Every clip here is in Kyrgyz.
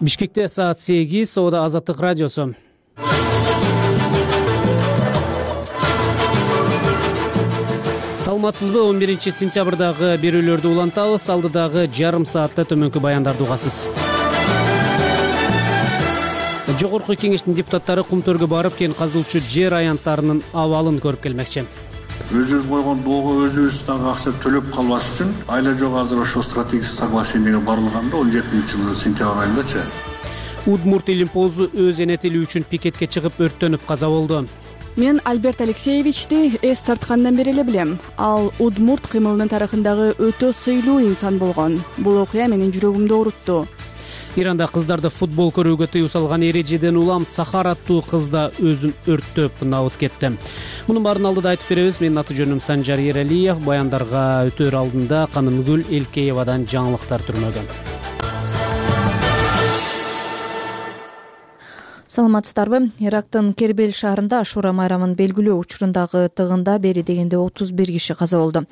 Бишкекте саат 8, Соода Азаттык радиосу. Саламатсызбы? 11-сентябрдагы берүүлөрдү улантабыз. Алдыдагы жарым саатта төмөнкү баяндарды угасыз. Жогорку кеңештин депутаттары Кумтөргө барып, кен казылчу жер аянттарынын абалын көрүп келмекчи. Өзүбүз койгон доого өзүбүз дагы акча төлөп калбаш үчүн айла жок азыр ошо стратегический соглашениеге барылганда 17-жылы сентябрь айындачы. Удмурт Илимпозу өз эне тили үчүн пикетке чыгып өрттөнүп каза болду. Мен Альберт Алексеевичти эс тарткандан бери эле билем. Ал удмурт кыймылынын тарыхындагы өтө сыйлуу инсан болгон. Бул окуя менин жүрөгүмдү оорутту. Иранда кыздарды футбол көрүүгө тыюу салган эрежеден улам Сахар аттуу кыз да өзүн өрттөп набыт кетти. Мунун баарын алдыда айтып беребиз. Менин аты жөнүм Санжар Ералиев. Баяндарга өтөр алдында Канымгүл Элкеевадан жаңылыктар түрмөгөн. Саламатсыздарбы? Ирактын Кербел шаарында Ашура майрамын белгилөө учурундагы тыгында бери дегенде 31 киши каза болду.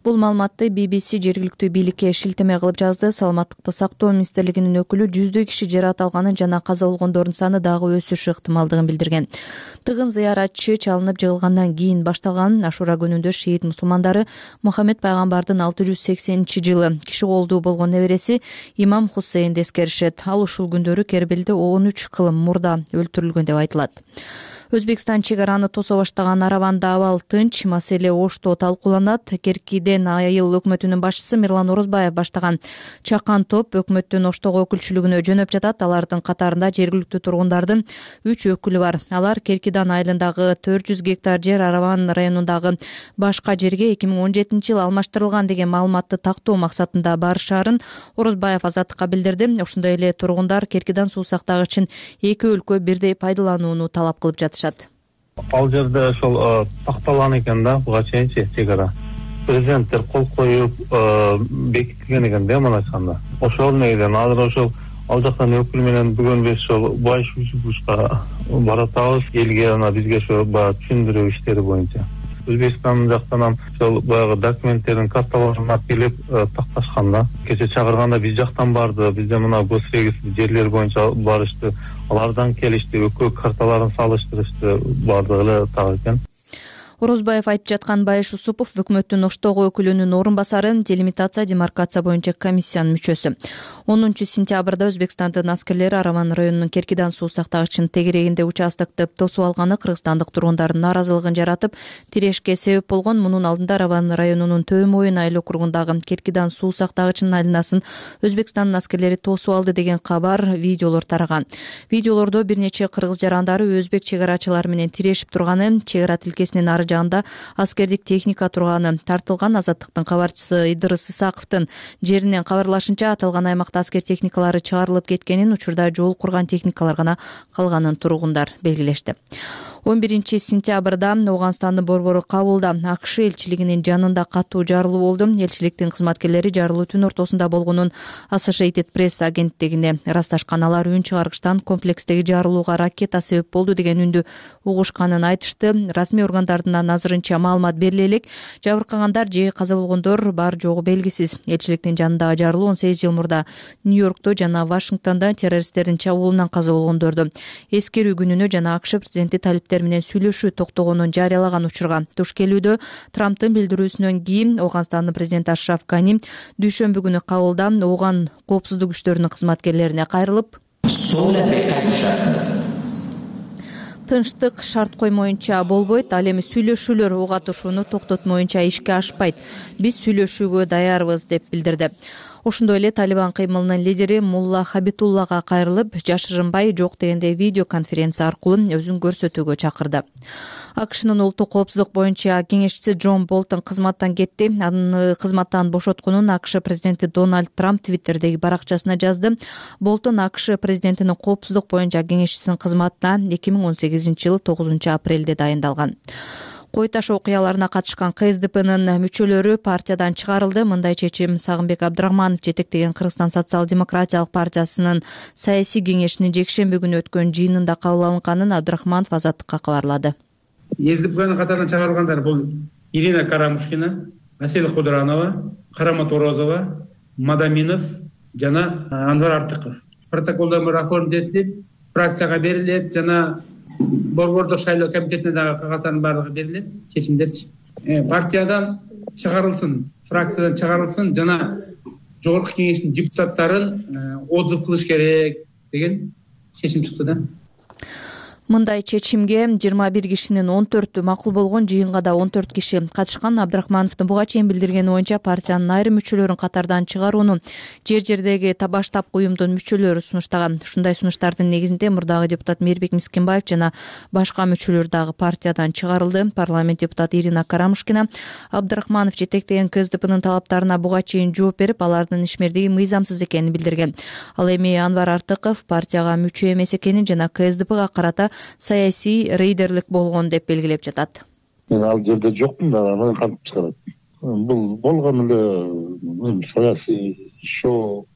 Бул маалыматты BBC жергиликтүү бийликке шилтеме кылып жазды. Саламаттыкты сактоо министрлигинин өкүлү жүздөй киши жаракат алганын жана каза болгондордун саны дагы өсүшү ыктымалдыгын билдирген. Тыгын зыяратчы чалынып жыгылгандан кийин башталган. Ашура күнүндө шиит мусулмандары Мухаммед пайгамбардын 680-жылы киши колдуу болгон небереси Имам Хусейнди эскеришет. Ал ушул күндөрү Кербелде 13 кылым мурда өлтүрүлгөн деп айтылат. Өзбекстан чек араны тосо баштаган Араванда абал тынч, маселе ошто талкууланат. Керкиден айыл өкмөтүнүн башчысы Мирлан Орозбаев баштаган чакан топ өкмөттүн оштого өкүлчүлүгүнө жөнөп жатат. Алардын катарында жергиликтүү тургундардын 3 өкүлү бар. Алар Керкидан айылындагы 400 гектар жер Араван районундагы башка жерге 2017-жылы алмаштырылган деген маалыматты тактоо максатында барышаарын Орозбаев Азаттыкка билдирди. Ошондой эле тургундар Керкидан суу сактагычын эки өлкө бирдей пайдаланууну талап кылып жатышат. Ал жерде ошол такталган экен да, буга чейинчи чек ара. Президенттер кол коюп бекитилген экен да, мына айтканда. Ошол негизинен азыр ошол ал жактан өкүл менен бүгүн биз ошол башка баратабыз элге, ана бизге ошо баягы түшүндүрүү иштери боюнча. Өзбекстан жактан ошол баягы документтердин карталарын алып келип такташкан да. Кече чакырганда биз жактан барды, бизде мына госрегистр жерлер боюнча барышты. Алардан келишти, өкөө карталарын салыштырышты, бардыгы эле так экен. Орозбаев айтып жаткан Байыш Усупов өкмөттүн оштогу өкүлүнүн орун басары, делимитация демаркация боюнча комиссиянын мүчөсү. 10-сентябрда Өзбекстандын аскерлери Араван районунун Керкидан суу сактагычынын тегерегинде участокты тосуп алганы кыргызстандык тургундардын нааразылыгын жаратып, тирешке себеп болгон. Мунун алдында Араван районунун Төө Моюн айыл округундагы Керкидан суу сактагычынын айланасын Өзбекстандын аскерлери тосуп алды деген кабар, видеолор тараган. Видеолордо бир нече кыргыз жарандары өзбек чек арачылары менен тирешип турганы, чек ара тилкесинин ары жагында аскердик техника турганы тартылган. Азаттыктын кабарчысы Идырыс Исаковдун жеринен кабарлашынча, аталган аймакта аскер техникалары чыгарылып кеткенин, учурда жол курган техникалар гана калганын тургундар белгилешти. 11-сентябрда Ооганстандын борбору Кабулда АКШ элчилигинин жанында катуу жарылуу болду. Элчиликтин кызматкерлери жарылуу түн ортосунда болгонун Associated Press агенттигине ырасташкан. Алар үн чыгаргычтан комплекстеги жарылууга ракета себеп болду деген үндү угушканын айтышты. Расмий органдардын азырынча маалымат бериле элек. Жабыркагандар же каза болгондор бар жогу белгисиз. Элчиликтин жанындагы жарылуу 18 жыл мурда Нью-Йоркто жана Вашингтонда террористтердин чабуулунан каза болгондорду эскерүү күнүнө жана АКШ президенти талиптер менен сүйлөшүү токтогонун жарыялаган учурга туш келүүдө. Трамптын билдирүүсүнөн кийин Ооганстандын президенти Ашраф Гани дүйшөмбү күнү Кабулда Ооган коопсуздук күчтөрүнүн кызматкерлерине кайрылып, тынчтык шарт коймоюнча болбойт, ал эми сүйлөшүүлөр уг атышууну токтотмоюнча ишке ашпайт. Биз сүйлөшүүгө даярбыз деп билдирди. Ошондой эле Талибан кыймылынын лидери Мулла Хабитуллага кайрылып, жашырынбай жок дегенде видеоконференция аркылуу өзүн көрсөтүүгө чакырды. АКШнын улуттук коопсуздук боюнча кеңешчиси Джон Болтон кызматтан кетти. Аны кызматтан бошотконун АКШ президенти Дональд Трамп Твиттердеги баракчасына жазды. Болтон АКШ президентинин коопсуздук боюнча кеңешчисинин кызматына 2018-жылы 9 апрелде дайындалган. Кой таш окуяларына катышкан КСДПнын мүчөлөрү партиядан чыгарылды. Мындай чечим Сагынбек Абдрахманов жетектеген Кыргызстан социал-демократиялык партиясынын саясий кеңешинин жекшемби күнү өткөн жыйынында кабыл алынганын Абдрахманов Азаттыкка кабарлады. КСДПнын катарынан чыгарылгандар бул Ирина Карамушкина, Асель Кудранова, Карамат Орозова, Мадаминов жана Анвар Артыков. протоколдор менен оформдетилип фракцияга берилет, жана борбордук шайлоо комитетине дагы кагаздардын баардыгы берилет, чечимдерчи. Партиядан чыгарылсын, фракциядан чыгарылсын жана жогорку кеңештин депутаттарын отзыв кылыш керек деген чечим чыкты да. Мындай чечимге 21 кишинин 14-ü макул болгон, жыйынга да 14 киши катышкан. Абдрахмановдун буга чейин билдиргени боюнча партиянын айрым мүчөлөрүн катардан чыгарууну жер-жердеги баштапкы уюмдун мүчөлөрү сунуштаган. Ушундай сунуштардын негизинде мурдагы депутат Мээрбек Мискинбаев жана башка мүчөлөр дагы партиядан чыгарылды. Парламент депутаты Ирина Карамушкина Абдрахманов жетектеген КСДПнын талаптарына буга чейин жооп берип, алардын ишмердиги мыйзамсыз экенин билдирген. Ал эми Анвар Артыков партияга мүчө эмес экенин жана КСДПга карата саясий рейдерлик болгон деп белгилеп жатат. Мен ал жерде жокмун да, аны кантип чыгарат? Бул болгон эле саясий шоу.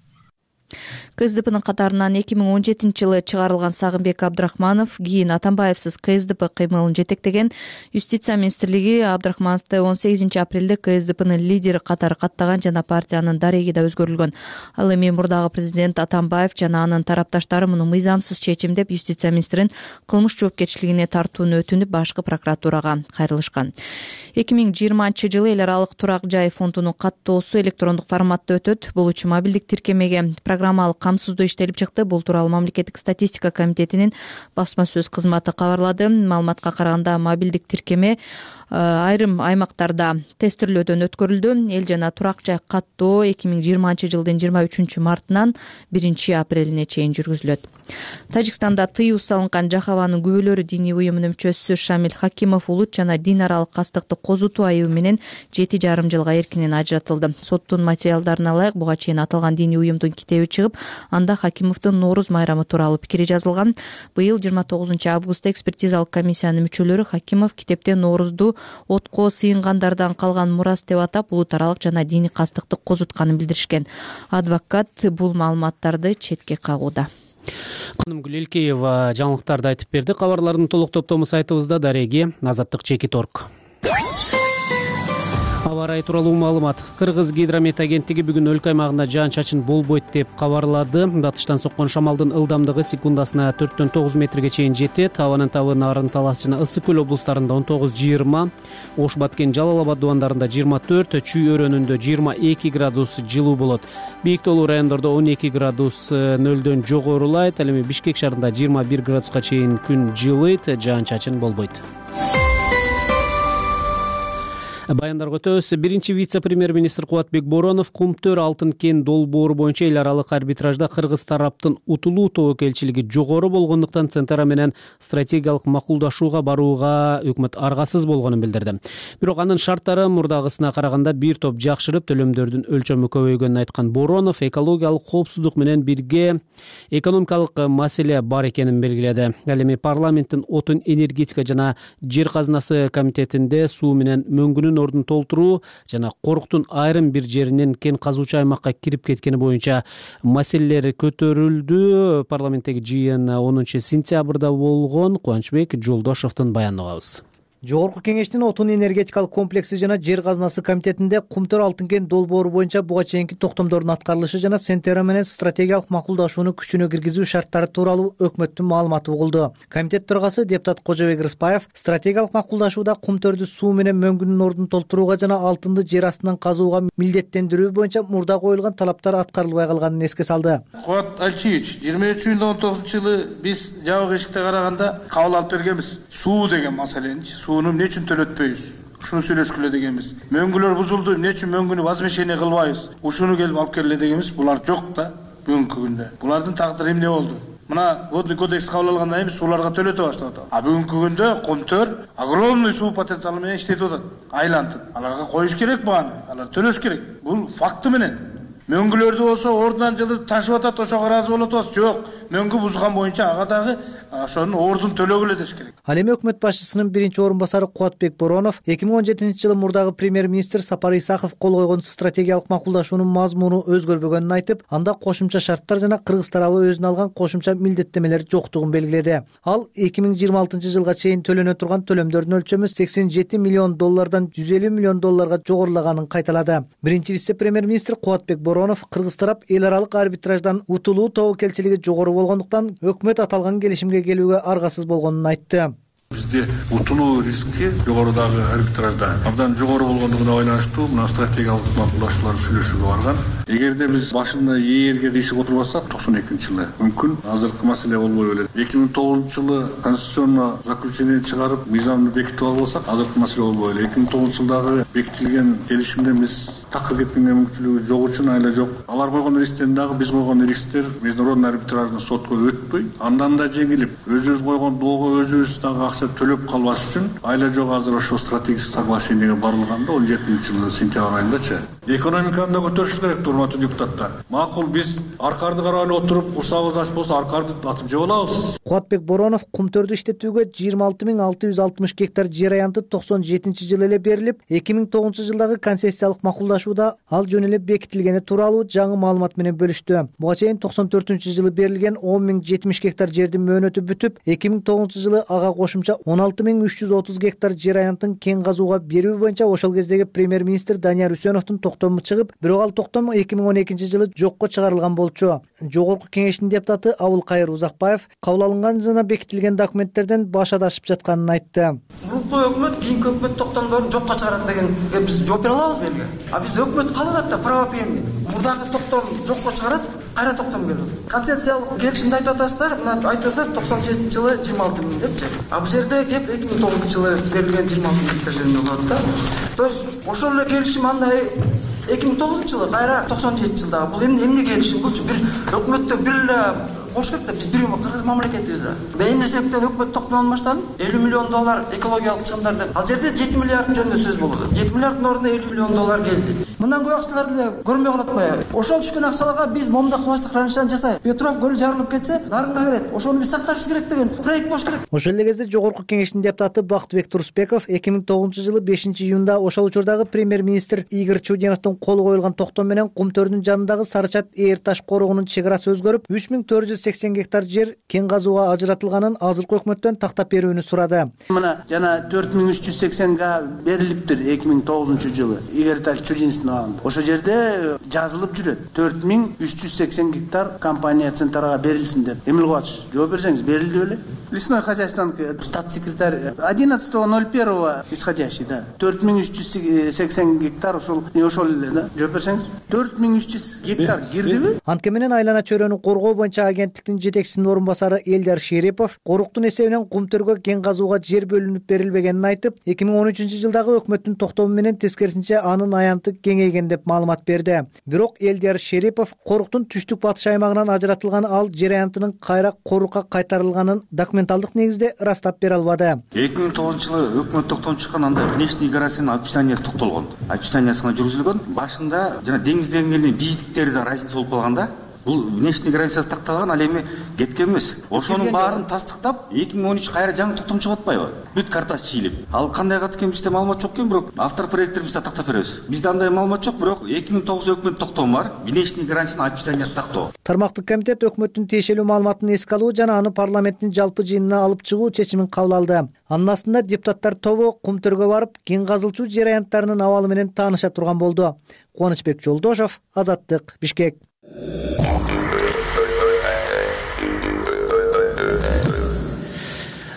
КСДПнын катарынан 2017-жылы чыгарылган Сагынбек Абдрахманов кийин Атамбаевсиз КСДП кыймылын жетектеген. Юстиция министрлиги Абдрахмановду 18-апрелде КСДПнын лидери катары каттаган жана партиянын дареги да өзгөрүлгөн. Ал эми мурдагы президент Атамбаев жана анын тарапташтары муну мыйзамсыз чечим деп юстиция министрин кылмыш жоопкерчилигине тартууну өтүнүп башкы прокуратурага кайрылышкан. 2020-жылы эл аралык турак жай фондунун каттоосу электрондук форматта өтөт. Бул үчүн мобилдик тиркемеге программалык камсыздоо иштелип чыкты. Бул тууралуу Мамлекеттик статистика комитетинин басма сөз кызматы кабарлады. Маалыматка караганда мобилдик тиркеме айрым аймактарда тестирлөөдөн өткөрүлдү. Эл жана турак жай каттоо 2020-жылдын 23-мартынан 1-апрелине чейин жүргүзүлөт. Тажикстанда тыюу салынган Жахаванын күбөлөрү диний уюмунун мүчөсү Шамил Хакимов улут жана дин аралык кастыкты козутуу айыбы менен 7,5 жылга эркинен ажыратылды. Соттун материалдарына ылайык буга чейин аталган диний уюмдун китеби чыгып, анда Хакимовдун Нооруз майрамы тууралуу пикири жазылган. Быйыл 29-августта экспертизалык комиссиянын мүчөлөрү Хакимов китепте Ноорузду отко сыйынгандардан калган мурас деп атап, улут аралык жана диний кастыкты козутканын билдиришкен. Адвокат бул маалыматтарды четке кагууда. Канымгүл Элкеева жаңылыктарды айтып берди. Кабарлардын толук топтому сайтыбызда дареги Азаттык.org. Аба ырайы тууралуу маалымат. Кыргыз гидромет агенттиги бүгүн өлкө аймагында жаан-чачын болбойт деп кабарлады. Батыштан соккон шамалдын ылдамдыгы секундасына 4-9 метрге чейин жетет. Абанын табы Нарын Талас жана Ысык көл облустарында 19-20, Ош, Баткен, Жалал Абад дубандарында 24, Чүй өрөөнүндө 22 градус жылуу болот. Бийик тоолуу райондордо 12 градус нөлдөн жогорулайт. Ал эми Бишкек шаарында 21 градуска чейин күн жылыйт, жаан-чачын болбойт. Баяндарга өтөбүз. Биринчи вице-премьер-министр Кубатбек Боронов Кумтөр алтын кен долбоору боюнча эл аралык арбитражда кыргыз тараптын утулуу тобокелчилиги жогору болгондуктан Центара менен стратегиялык макулдашууга барууга өкмөт аргасыз болгонун билдирди. Бирок анын шарттары мурдагысына караганда бир топ жакшырып, төлөмдөрдүн өлчөмү көбөйгөнүн айткан Боронов экологиялык коопсуздук менен бирге экономикалык маселе бар экенин белгиледи. Ал эми парламенттин отун, энергетика жана жер казынасы комитетинде суу менен мөңгүнүн ордун толтуруу жана Коруктун айрым бир жеринен кен казуучу аймакка кирип кеткени боюнча маселелер көтөрүлдү. Парламенттеги жыйын 10-сентябрда болгон. Кубанычбек Жолдошовдун баянын угабыз. Жогорку кеңештин отун энергетикалык комплекси жана жер казынасы комитетинде Кумтөр алтын кен долбоору боюнча буга чейинки токтомдордун аткарылышы жана Центера менен стратегиялык макулдашууну күчүнө киргизүү шарттары тууралуу өкмөттүн маалыматы угулду. Комитет төрагасы депутат Кожобек Рыспаев стратегиялык макулдашууда Кумтөрдү суу менен мөңгүнүн ордун толтурууга жана алтынды жер астынан казууга милдеттендирүү боюнча мурда коюлган талаптар аткарылбай калганын эске салды. Кубат Алчиевич, 23-19-жылы биз жабык эшикте караганда кабыл алып бергенбиз. Суу деген маселени сууну эмне үчүн төлөтпөйбүз? Ушуну сүйлөшкүлө дегенбиз. Мөңгүлөр бузулду, эмне үчүн мөңгүнү возмещение кылбайбыз? Ушуну келип алып келе дегенбиз. Булар жок да бүгүнкү күндө. Булардын тагдыры эмне болду? Мына водный кодекс кабыл алгандан кийин сууларга төлөтө баштап атат. А бүгүнкү күндө Кумтөр огромный суу потенциалы менен иштетип атат. Айлантып. Аларга коюш керек бааны. Алар төлөш керек. Бул факты менен. Мөңгүлөрдү болсо ордунан жылып ташып атат, ошого ыраазы болуп атабыз. Жок, мөңгү бузган боюнча ага дагы ошонун ордун төлөгүлө деш керек. Ал эми өкмөт башчысынын биринчи орун басары Кубатбек Боронов 2017-жылы мурдагы премьер-министр Сапар Исаков кол койгон стратегиялык макулдашуунун мазмуну өзгөрбөгөнүн айтып, анда кошумча шарттар жана Кыргыз тарабы өзүнө алган кошумча милдеттемелер жоктугун белгиледи. Ал 2026-жылга чейин төлөнө турган төлөмдөрдүн өлчөмү $87 миллион $150 миллион жогорулаганын кайталады. Биринчи вице-премьер-министр Кубатбек Боронов Боронов кыргыз тарап эл аралык арбитраждан утулуу тобокелчилиги жогору болгондуктан өкмөт аталган келишимге келүүгө аргасыз болгонун айтты. Бизде утулуу риски жогорудагы арбитражда абдан жогору болгондугуна байланыштуу мына стратегиялык макулдашуулар сүйлөшүүгө барган. Эгерде биз башында ээрге кыйшык отурбасак 92-жылы мүмкүн азыркы маселе болбой эле. 2009-жылы конституционный заключение чыгарып мыйзамды бекитип албасак азыркы маселе болбой эле. 2009-жылдагы бекитилген келишимден биз такыр кеткенге мүмкүнчүлүгү жок үчүн айла жок. Алар койгон рисктен дагы биз койгон рисктер международный арбитраждын сотко өтпөй, андан да жеңилип, өзүбүз койгон доого өзүбүз дагы акча төлөп калбаш үчүн айла жок азыр ошо стратегический соглашениеге барылганда 17-жылы сентябрь айындачы. Экономиканы да көтөрүшүбүз керек, урматтуу депутаттар. Макул биз аркарды карап эле отуруп, курсагыбыз аш болсо аркарды атып жеп алабыз. Кубатбек Боронов кумтөрдү иштетүүгө 26.660 гектар жер аянты 97-жылы эле берилип, 2009-жылдагы концессиялык макулдашууда ал жөн эле бекитилгени тууралуу жаңы маалымат менен бөлүштү. Буга чейин 94-жылы берилген 10.070 гектар жердин мөөнөтү бүтүп, 2009-жылы ага кошумча 16.330 гектар жер аянтын кен казууга берүү боюнча ошол кездеги премьер-министр Данияр Үсөновдун токтому чыгып, бирок ал токтом 2012-жылы жокко чыгарылган болчу. Жогорку кеңештин депутаты Абылкайыр Узакбаев кабыл алынган жана бекитилген документтерден баш адашып жатканын айтты. Мурунку өкмөт кийинки өкмөт токтомдорун жокко чыгарат дегенге биз жооп бере алабызбы элге? А бизде өкмөт калат да правоприемник. Мурдагы токтом жокко чыгарат, кайра токтом келет. Концессиялык келишимди айтып атасыздар, мына айтып атасыздар 97-жылы 26 миң депчи. А бул жерде кеп 2009-жылы берилген 26 миң гектар жеринде болот да. То есть ошол эле келишим андай 2009-жылы кайра 97-жылдагы бул эмне келишим болчу? Бир өкмөттө бир эле болуш керек да, биз бир кыргыз мамлекетибиз да. Мен эмне себептен өкмөт токтомдон баштадым? 50 миллион доллар экологиялык чыгымдар деп. Ал жерде 7 миллиард жөнүндө сөз болду. 7 миллиарддын ордуна 50 миллион доллар келди. Мындан көп акчаларды эле көрмөй калат атпайбы? Ошол түшкөн акчаларга биз момда хвостик хранилищаны жасайбыз. Петров көлү жарылып кетсе, нарынга келет. Ошону биз сакташыбыз керек деген проект болуш керек. Ошол эле кезде жогорку кеңештин депутаты Бактыбек Турсбеков 2009-жылы 5-июнда ошол учурдагы премьер-министр Игорь Чудиновдун колу коюлган токтом менен Кумтөрдүн жанындагы Сарычат Ээр таш корогунун чек арасы өзгөрүп, 3480 гектар жер кен казууга ажыратылганын азыркы өкмөттөн тактап берүүнү сурады. Мына жана 4380 га берилиптир 2009-жылы Игорь Чудиновдун абагында. Ошол жерде жазылып жүрөт 4380 гектар компания Центрага берилсин деп. Эмне кылып атышсыз? Жооп берсеңиз, берилди беле? Лесной хозяйствонун статс-секретарь 11.01 исходящий, да. 4380 гектар ошол эле, да. Жооп берсеңиз, 4300 гектар кирдиби? Антке менен айлана чөйрөнү коргоо боюнча агенттиктин жетекчисинин орун басары Элдар Шерипов Коруктун эсебинен Кумтөргө кен казууга жер бөлүнүп берилбегенин айтып, 2013-жылдагы өкмөттүн токтому менен тескерисинче анын аянты кеңейген деп маалымат берди. Бирок Элдар Шерипов Коруктун түштүк батыш аймагынан ажыратылган ал жер аянтынын кайра Корукка кайтарылганын документалдык негизде ырастап бере албады. 2009-жылы өкмөт токтом чыккан, анда внешний гараждын описаниясы токтолгон. Описаниясына жүргүзүлгөн. Башында жана деңиз деңгээлинин бийликтери да разница болуп калганда, бул внешний границасы такталган, ал эми кеткен эмес. Ошонун баарын тастыктап 2013 кайра жаңы токтом чыгып атпайбы? Бүт картасы чийилип. Ал кандай кат экен бизде маалымат жок экен, бирок автор проекттер бизде тактап беребиз. Бизде андай маалымат жок, бирок 2009 өкмөт токтому бар, внешний границанын описаниясы тактоо. Тармактык комитет өкмөттүн тиешелүү маалыматын эске алуу жана аны парламенттин жалпы жыйынына алып чыгуу чечимин кабыл алды. Анын астында депутаттар тобу Кумтөргө барып, кен казылчу жер аянттарынын абалы менен тааныша турган болду. Кубанычбек Жолдошов, Азаттык, Бишкек.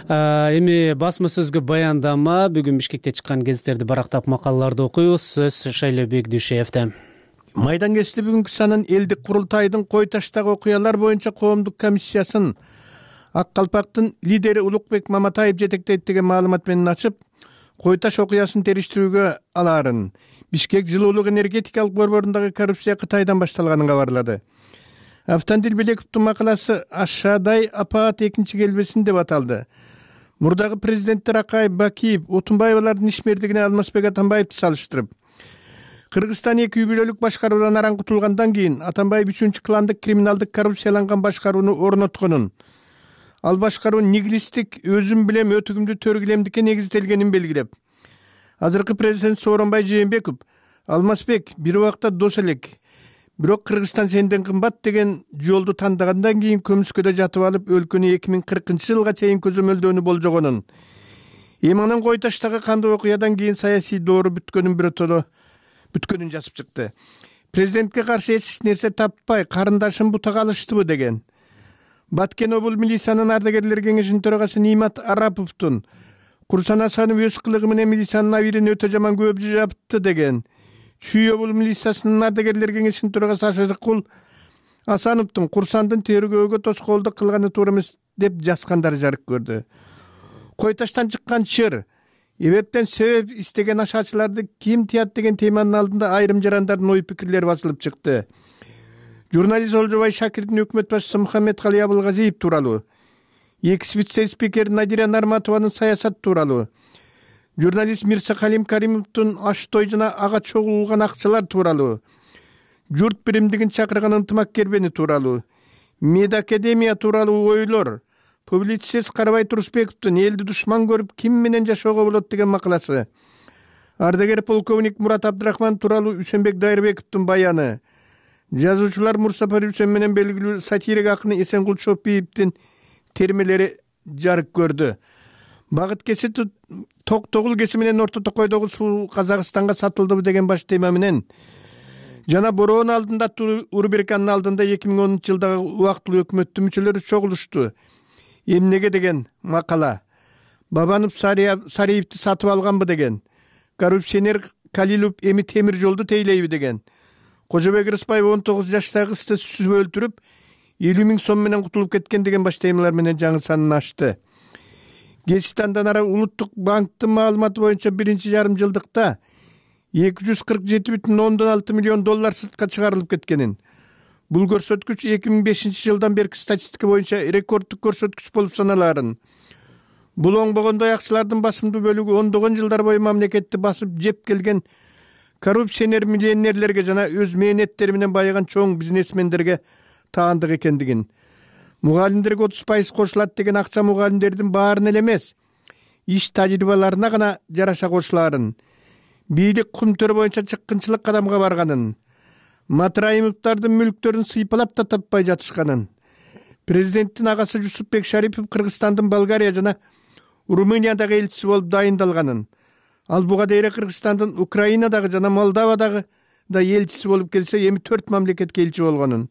Эми басма сөзгө баяндама. Бүгүн Бишкекте чыккан гезиттерди барактап макалаларды окуйбуз. Сөз Шайлебек Дүйшеевде. Майдан кести бүгүнкү санын элдик курултайдын Кой таштагы окуялар боюнча коомдук комиссиясын Ак Калпактын лидери Улукбек Маматаев жетектейт деген маалымат менен ачып, Кой таш окуясын териштирүүгө алаарын, Бишкек жылуулук энергетикалык борборундагы коррупция Кытайдан башталганын кабарлады. Автандил Белековдун макаласы Ашадай апаат экинчи келбесин деп аталды. Мурдагы президенттер Акаев, Бакиев, Отунбаевалардын ишмердигине Алмазбек Атамбаевди салыштырып, Кыргызстан 2 үй бүлөлүк башкаруудан араңкытылгандан кийин Атамбаев 3-чү кландык криминалдык коррупцияланган башкарууну орнотконун, ал башкаруу нигилисттик өзүм билем өтүгүмдү төргүлемдикке негизделгенин белгилеп, азыркы президент Сооронбай Жээнбеков Алмазбек бир убакта дос элек, бирок Кыргызстан сенден кымбат деген жолду тандагандан кийин көмүскөдө жатып алып өлкөнү 2040-жылга чейин көзөмөлдөөнү болжогонун, эми анын Кой таштагы кандуу окуядан кийин саясий доору бүткөнүн жазып чыкты. президентке каршы эч нерсе таппай карындашын бутага алыштыбы деген. Баткен облус милициянын ардагерлер кеңешинин төрагасы Нимат Араповдун Курсан Асанов өз кылыгы менен милициянын абийирин өтө жаман көп жапты деген. Чүй облус милициясынын ардагерлер кеңешинин төрагасы Ашыкул Асановдун Курсандын тергөөгө тоскоолдук кылганы туура эмес деп жазгандары жарык көрдү. Кой таштан чыккан чыр, эбептен себеп истеген ашаачыларды ким тыят деген теманын алдында айрым жарандардын ой пикирлери басылып чыкты. Журналист Олжобай Шакирдин өкмөт башчысы Мухаммедкали Абылгазиев тууралуу, экс вице-спикер Надира Нарматованын саясат тууралуу, журналист Мирса Калим Каримовдун аш той жана ага чогулган акчалар тууралуу, журт биримдигин чакырган ынтымак кербени тууралуу, Мед академия тууралуу ойлор, публицист Карабай Турусбековдун элди душман көрүп ким менен жашоого болот деген макаласы, ардагер полковник Мурат Абдрахман тууралуу Үсөнбек Дайырбековдун баяны, жазуучулар Мурсапар Үсен менен белгилүү сатирик акыны Эсенгул Чопиевдин термелери жарык көрдү. Багыт кесити Токтогул кеси менен Орто Токойдогу суу Казакстанга сатылдыбы деген баш тема менен жана бороон алдында Урберканын алдында 2010-жылдагы убактылуу өкмөттүн мүчөлөрү чогулушту. Эмнеге деген макала. Бабанов Сариевди сатып алганбы деген. Коррупционер Калилов эми темир жолду тейлейби деген. Кожобек Рыспаев 19 жаштагы кызды сүзүп өлтүрүп 50 000 сом менен кутулуп кеткен деген баш темалар менен жаңы санын ачты. Гезистандан ара Улуттук банктын маалыматы боюнча биринчи жарым жылдыкта 247,6 миллион доллар сыртка чыгарылып кеткенин. Бул көрсөткүч 2005-жылдан берки статистика боюнча рекорддук көрсөткүч болуп саналарын. Бул оңбогондой акчалардын басымдуу бөлүгү ондогон жылдар бою мамлекетти басып жеп келген коррупционер миллионерлерге жана өз мээнеттери менен байыган чоң бизнесмендерге таандык экендигин. Мугалимдерге 30% кошулат деген акча мугалимдердин баарына эле эмес, иш тажрыйбаларына гана жараша кошуларын, бийлик кумтөр боюнча чыккынчылык кадамга барганын, Матраимовдардын мүлктөрүн сыйпалап да таппай жатышканын, президенттин агасы Жусупбек Шарипов Кыргызстандын Болгария жана Румыниядагы элчиси болуп дайындалганын, ал буга дейре Кыргызстандын Украинадагы жана Молдовадагы да элчиси болуп келсе, эми 4 мамлекетке элчи болгонун,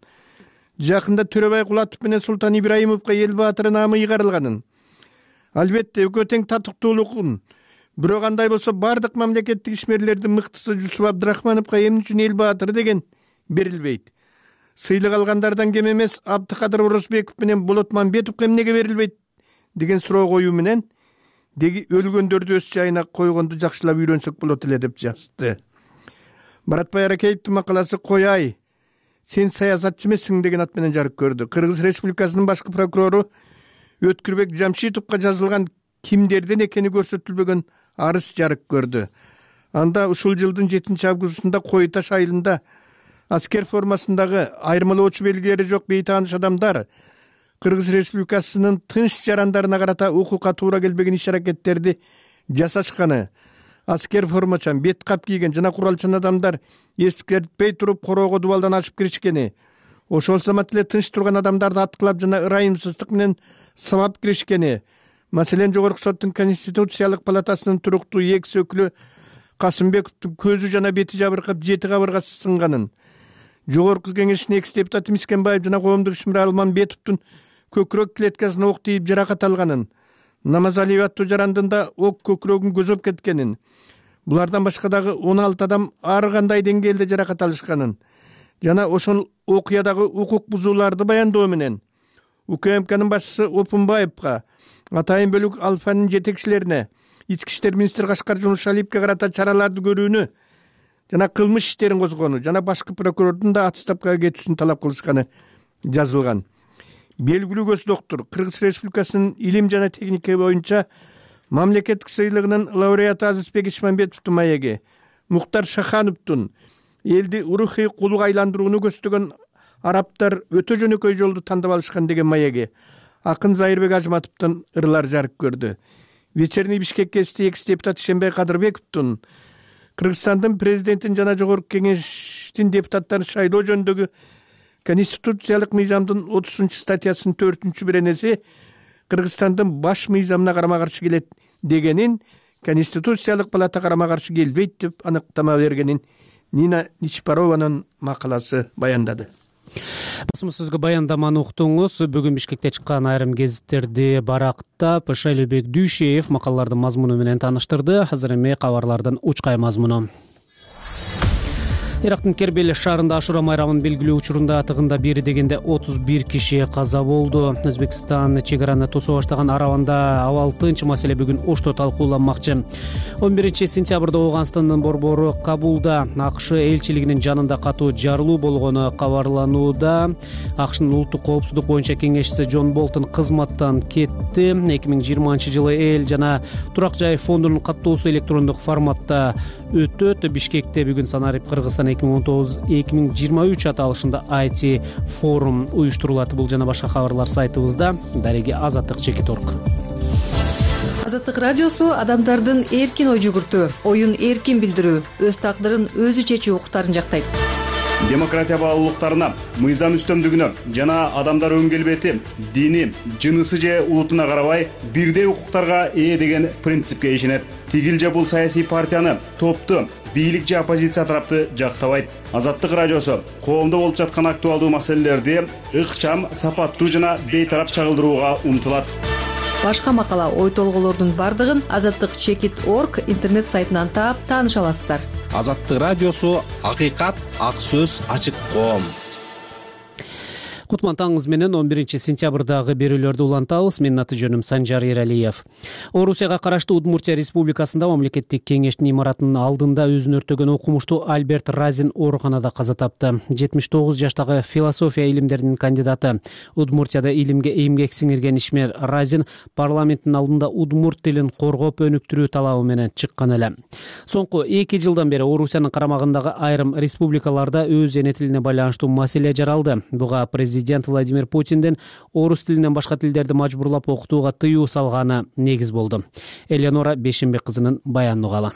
жакында Төрөбай Кулатов менен Султан Ибраимовго эл баатыры наамы ыйгарылганын, албетте экөө тең татыктуулугун, бирок андай болсо бардык мамлекеттик ишмерлердин мыктысы Жусуп Абдрахмановго эмне үчүн эл баатыры деген берилбейт. Сыйлык алгандардан кем эмес Абдыкадыр Орозбеков менен Болот Мамбетовго эмнеге берилбейт деген суроо коюу менен деги өлгөндөрдү өз жайына койгонду жакшылап үйрөнсөк болот эле деп жазды. Баратбай Аракеевдин макаласы «Кояй, сен саясатчы эмессиң» деген ат менен жарык көрдү. Кыргыз Республикасынын башкы прокурору Өткүрбек Жамшитовго жазылган кимдерден экени көрсөтүлбөгөн арыз жарык көрдү. Анда ушул жылдын 7-августунда Кой Таш айылында аскер формасындагы айырмалоочу белгилери жок бейтааныш адамдар Кыргыз Республикасынын тынч жарандарына карата укукка туура келбеген иш-аракеттерди жасашканы, аскер формачан, бет кап кийген жана куралчан адамдар эскертпей туруп короого дубалдан ашып киришкени, ошол замат эле тынч турган адамдарды аткылап жана ырайымсыздык менен сабап киришкени, маселен Жогорку соттун Конституциялык палатасынын туруктуу экс өкүлү Касымбековдун көзү жана бети жабыркап 7 кабыргасы сынганын, Жогорку кеңештин экс депутаты Мискенбаев жана коомдук ишмер Алманбетовдун көкүрөк клеткасына ок тийип жаракат алганын, Намазалиев аттуу жарандында ок көкүрөгүн көзөп кеткенин, булардан башка дагы 16 адам ар кандай деңгээлде жаракат алышканын жана ошол окуядагы укук бузууларды баяндоо менен УКМКнын башчысы Опунбаевга, атайын бөлүк Алфанын жетекчилерине, Ички иштер министри Кашкар Жумушалиевге карата чараларды көрүүнү жана кылмыш иштерин козгоону жана башкы прокурордун да отставкага кетүүсүн талап кылышканы жазылган. Белгилүү көз доктур Кыргыз Республикасынын илим жана техника боюнча мамлекеттик сыйлыгынын лауреаты Азизбек Ишмамбетовдун маеги, Муктар Шахановдун элди урухий кулуга айландырууну көздөгөн арабтар өтө жөнөкөй жолду тандап алышкан деген маеги, акын Зайырбек Ажматовдун ырлар жарык көрдү. Вечерний Бишкек гезити экс депутат Ишенбай Кадырбековдун Кыргызстандын президентин жана жогорку кеңештин депутаттарын шайлоо жөнүндөгү Конституциялык мыйзамдын 30-статьясынын 4-беренеси Кыргызстандын баш мыйзамына карама-каршы келет дегенин, Конституциялык палата карама-каршы келбейт деп аныктама бергенин Нина Ничпарованын макаласы баяндады. Басымсызгы баяндаманы уктуңуз. Бүгүн Бишкекте чыккан айрым гезиттерди барактап Шайлообек Дүйшеев макалалардын мазмуну менен тааныштырды. Азыр эми кабарлардын учкай мазмуну. Ирактын Кербел шаарында Ашура майрамын белгилөө учурунда тыгында бери дегенде 31 киши каза болду. Өзбекстан чек араны тосуп баштаган Араванда абал-тынч маселе бүгүн Ошто талкууланмакчы. 11 сентябрда Ооганстандын борбору Кабулда АКШ элчилигинин жанында катуу жарылуу болгону кабарланууда. АКШнын улуттук коопсуздук боюнча кеңешчиси Джон Болтон кызматтан кетти. 2020-жылы эл жана турак жай фондунун каттоосу электрондук форматта өтөт. Бишкекте бүгүн Санарип Кыргызстан 2019-2023 аталышында IT форум уюштурулат. Бул жана башка кабарлар сайтыбызда. Дареги Азаттык Чекиторг. Азаттык радиосу адамдардын эркин ой жүгүртүү, оюн эркин билдирүү, өз тагдырын өзү чечүү укуктарын жактайт. Демократия баалуулуктарына, мыйзам үстөмдүгүнө жана адамдар өн келбети, дини, жынысы же улутуна карабай бирдей укуктарга ээ деген принципке ишенет. Тигил же бул саясий партияны, топту, бийлик же оппозиция тарапты жактабайт. Азаттык радиосу коомдо болуп жаткан актуалдуу маселелерди ыкчам, сапаттуу жана бейтарап чагылдырууга умтулат. Башка макала, ой толгоолордун бардыгын azattikchekit.org интернет сайтынан таап тааныша аласыздар. Азаттык радиосу акыйкат, ак сөз, ачык коом. Кутман таңыңыз менен 11 сентябрдагы берүүлөрдү улантабыз. Менин аты жөнүм Санжар Ералиев. Орусияга караштуу Удмуртия Республикасында мамлекеттик кеңештин имаратынын алдында өзүн өртөгөн окумуштуу Альберт Разин ооруканада каза тапты. 79 жаштагы философия илимдеринин кандидаты, Удмуртияда илимге эмгек сиңирген ишмер Разин парламенттин алдында удмурт тилин коргоп өнүктүрүү талабы менен чыккан эле. Соңку 2 жылдан бери Орусиянын карамагындагы айрым республикаларда өз эне тилине байланыштуу маселе жаралды. Буга президент Владимир Путиндин орус тилинен башка тилдерди мажбурлап окутууга тыюу салганы негиз болду. Элеонора Бешенбек кызынын баянын угалы.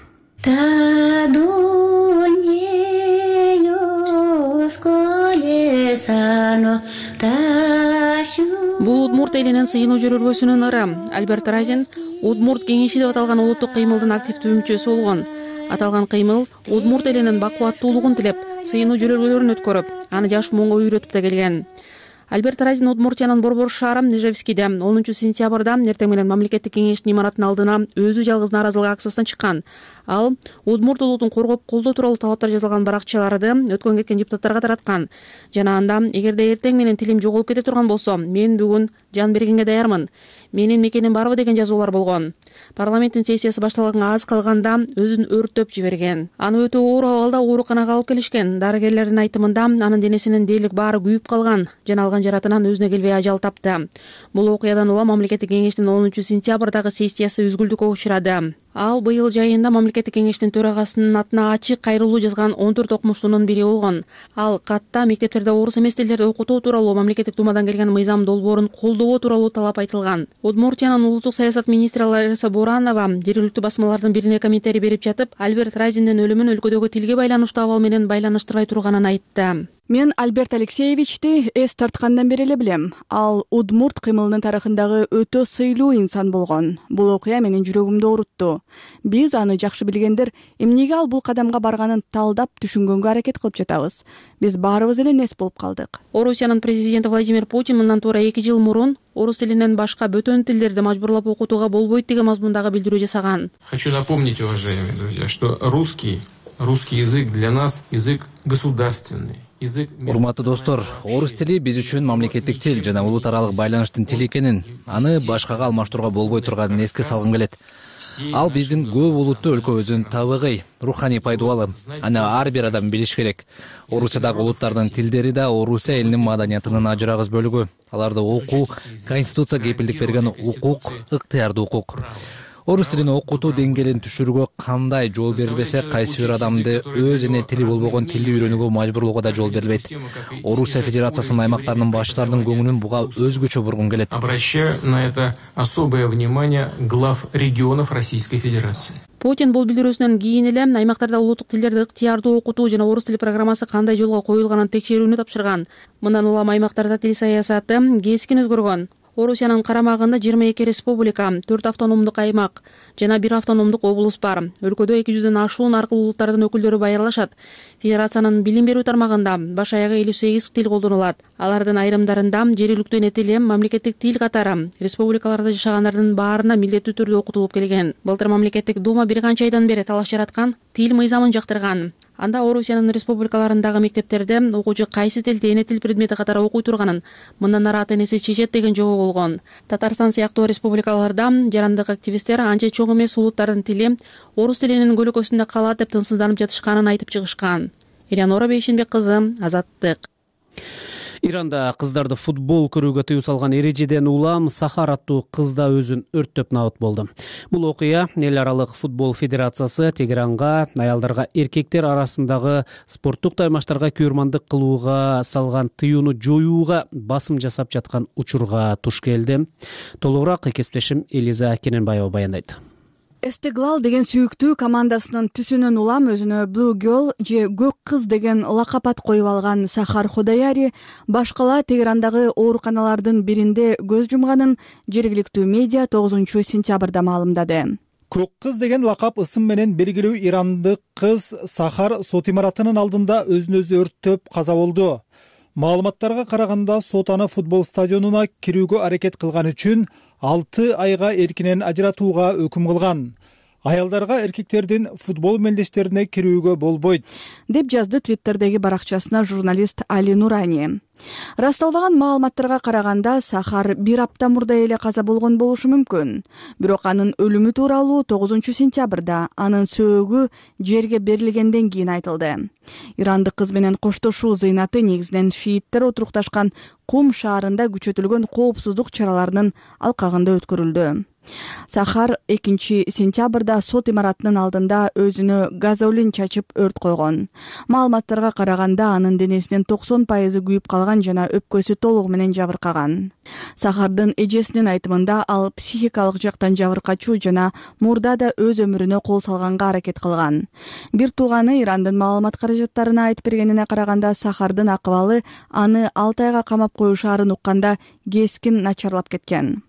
Бул удмурт элинин сыйынуу жүрөрбөсүнүн ыры. Альберт Разин Удмурт кеңеши деп аталган улуттук кыймылдын активдүү мүчөсү болгон. Аталган кыймыл удмурт элинин бакубаттуулугун тилеп, сыйынуу жүрөргөлөрүн өткөрүп, аны жаш муңга үйрөтүп да келген. Альберт Разин Удмуртиянын борбор шаары Нижевскийде 10 сентябрда эртең менен мамлекеттик кеңештин имаратынын алдына өзү жалгыз нааразылык акциясына чыккан. Ал удмурт улутун коргоп колдоо тууралуу талаптар жазылган баракчаларды өткөн кеткен депутаттарга тараткан. Жана анда эгерде эртең менен тилим жоголуп кете турган болсо, мен бүгүн жан бергенге даярмын. Менин мекеним барбы деген жазуулар болгон. Парламенттин сессиясы башталганга аз калганда өзүн өрттөп жиберген. Аны өтө оор абалда ооруканага алып келишкен. Дарыгерлердин айтымында анын денесинин дээрлик баары күйүп калган. Жана алган жаратынан өзүнө келбей ажал тапты. Бул окуядан улам мамлекеттик кеңештин 10 сентябрдагы сессиясы үзгүлтүккө учурады. Ал быйыл жайында мамлекеттик кеңештин төрагасынын атына ачык кайрылуу жазган 14 окумуштуунун бири болгон. Ал катта мектептерде орус эмес тилдерди окутуу тууралуу мамлекеттик думадан келген мыйзам долбоорун колдоо тууралуу талап айтылган. Удмуртиянын улуттук саясат министри Лариса Буранова жергиликтүү басмалардын бирине комментарий берип жатып, Альберт Разиндин өлүмүн өлкөдөгү тилге байланыштуу абал менен байланыштырбай турганын айтты. Мен Альберт Алексеевичти эс тарткандан бери эле билем. Ал удмурт кыймылынын тарыхындагы өтө сыйлуу инсан болгон. Бул окуя менин жүрөгүмдү оорутту. Биз аны жакшы билгендер эмнеге ал бул кадамга барганын талдап түшүнгөнгө аракет кылып жатабыз. Биз баарыбыз эле нес болуп калдык. Орусиянын президенти Владимир Путин мындан туура 2 жыл мурун орус тилинен башка бөтөн тилдерди мажбурлап окутууга болбойт деген мазмундагы билдирүү жасаган. Хочу напомнить, уважаемые друзья, что русский язык для нас язык государственный. Урматтуу достор, орус тили биз үчүн мамлекеттик тил жана улут аралык байланыштын тили экенин, аны башкага алмаштырууга болбой турганын эске салгым келет. Ал биздин көп улуттуу өлкөбүздүн табигый, руханий пайдубалы. Аны ар бир адам билиш керек. Орусиядагы улуттардын тилдери да Орусия элинин маданиятынын ажырагыс бөлүгү. Аларды окуу, конституция кепилдик берген укук, ыктыярдуу укук. Орус тилин окутуу деңгээлин түшүрүүгө кандай жол берилбесе, кайсы бир адамды өз эне тили болбогон тилди үйрөнүүгө мажбурлоого да жол берилбейт. Орусия Федерациясынын аймактарынын башчыларынын көңүлүн буга өзгөчө бургум келет. Обращаю на это особое внимание глав регионов Российской Федерации. Путин бул билдирүүсүнөн кийин эле аймактарда улуттук тилдерди ыктыярдуу окутуу жана орус тили программасы кандай жолго коюлганын текшерүүнү тапшырган. Мындан улам аймактарда тил саясаты кескин өзгөргөн. Орусиянын карамагында 22 республика, 4 автономдук аймак жана 1 автономдук облус бар. Өлкөдө 200дөн ашуун аркылуу улуттардын өкүлдөрү байырлашат. Федерациянын билим берүү тармагында баш аягы 58 тил колдонулат. Алардын айрымдарында жергиликтүү эне тили мамлекеттик тил катары республикаларда жашагандардын баарына милдеттүү түрдө окутулуп келген. Былтыр мамлекеттик дума бир канча айдан бери талаш жараткан тил мыйзамын жактырган. Анда Орусиянын республикаларындагы мектептерде окуучу кайсы тилди эне тил предмети катары окуй турганын мындан ары ата энеси чечет деген жобо болгон. Татарстан сыяктуу республикаларда жарандык активисттер анча чоң эмес улуттардын тили орус тилинин көлөкөсүндө калат деп тынчсызданып жатышканын айтып чыгышкан. Элеонора Бейшенбек кызы, Азаттык. Иранда кыздарды футбол көрүүгө тыюу салган эрежеден улам Сахар аттуу кыз да өзүн өрттөп набыт болду. Бул окуя эл аралык футбол федерациясы Тегеранга аялдарга эркектер арасындагы спорттук таймаштарга күйөрмандык кылууга салган тыюуну жоюуга басым жасап жаткан учурга туш келди. Толугураак кесиптешим Элиза Кененбаева баяндайт. Эстеглал деген сүйүктүү командасынын түсүнөн улам өзүнө Blue Girl же көк кыз деген лакап ат коюп алган Сахар Ходаяри башкала Тегерандагы ооруканалардын биринде көз жумганын жергиликтүү медиа 9-сентябрда маалымдады. Көк кыз деген лакап ысым менен белгилүү ирандык кыз Сахар сот имаратынын алдында өзүн өзү өрттөп каза болду. Маалыматтарга караганда сот аны футбол стадионуна кирүүгө аракет кылган үчүн 6 айга эркинен ажыратууга өкүм кылган. Аялдарга эркектердин футбол мелдештерине кирүүгө болбойт, деп жазды Твиттердеги баракчасына журналист Али Нурани. Расталбаган маалыматтарга караганда Сахар 1 апта мурда эле каза болгон болушу мүмкүн. Бирок анын өлүмү тууралуу 9-сентябрда анын сөөгү жерге берилгенден кийин айтылды. Ирандык кыз менен коштошуу зыйнаты негизинен шииттер отурукташкан Кум шаарында күчөтүлгөн коопсуздук чараларынын алкагында өткөрүлдү. Сахар 2-сентябрда сот имаратынын алдында өзүнө газолин чачып өрт койгон. Маалыматтарга караганда анын денесинин 90% күйүп калган жана өпкөсү толугу менен жабыркаган. Сахардын эжесинин айтымында ал психикалык жактан жабыркачуу жана мурда да өз өмүрүнө кол салганга аракет кылган. Бир тууганы Ирандын маалымат каражаттарына айтып бергенине караганда Сахардын акыбалы аны 6 айга камап коюшаарын укканда кескин начарлап кеткен.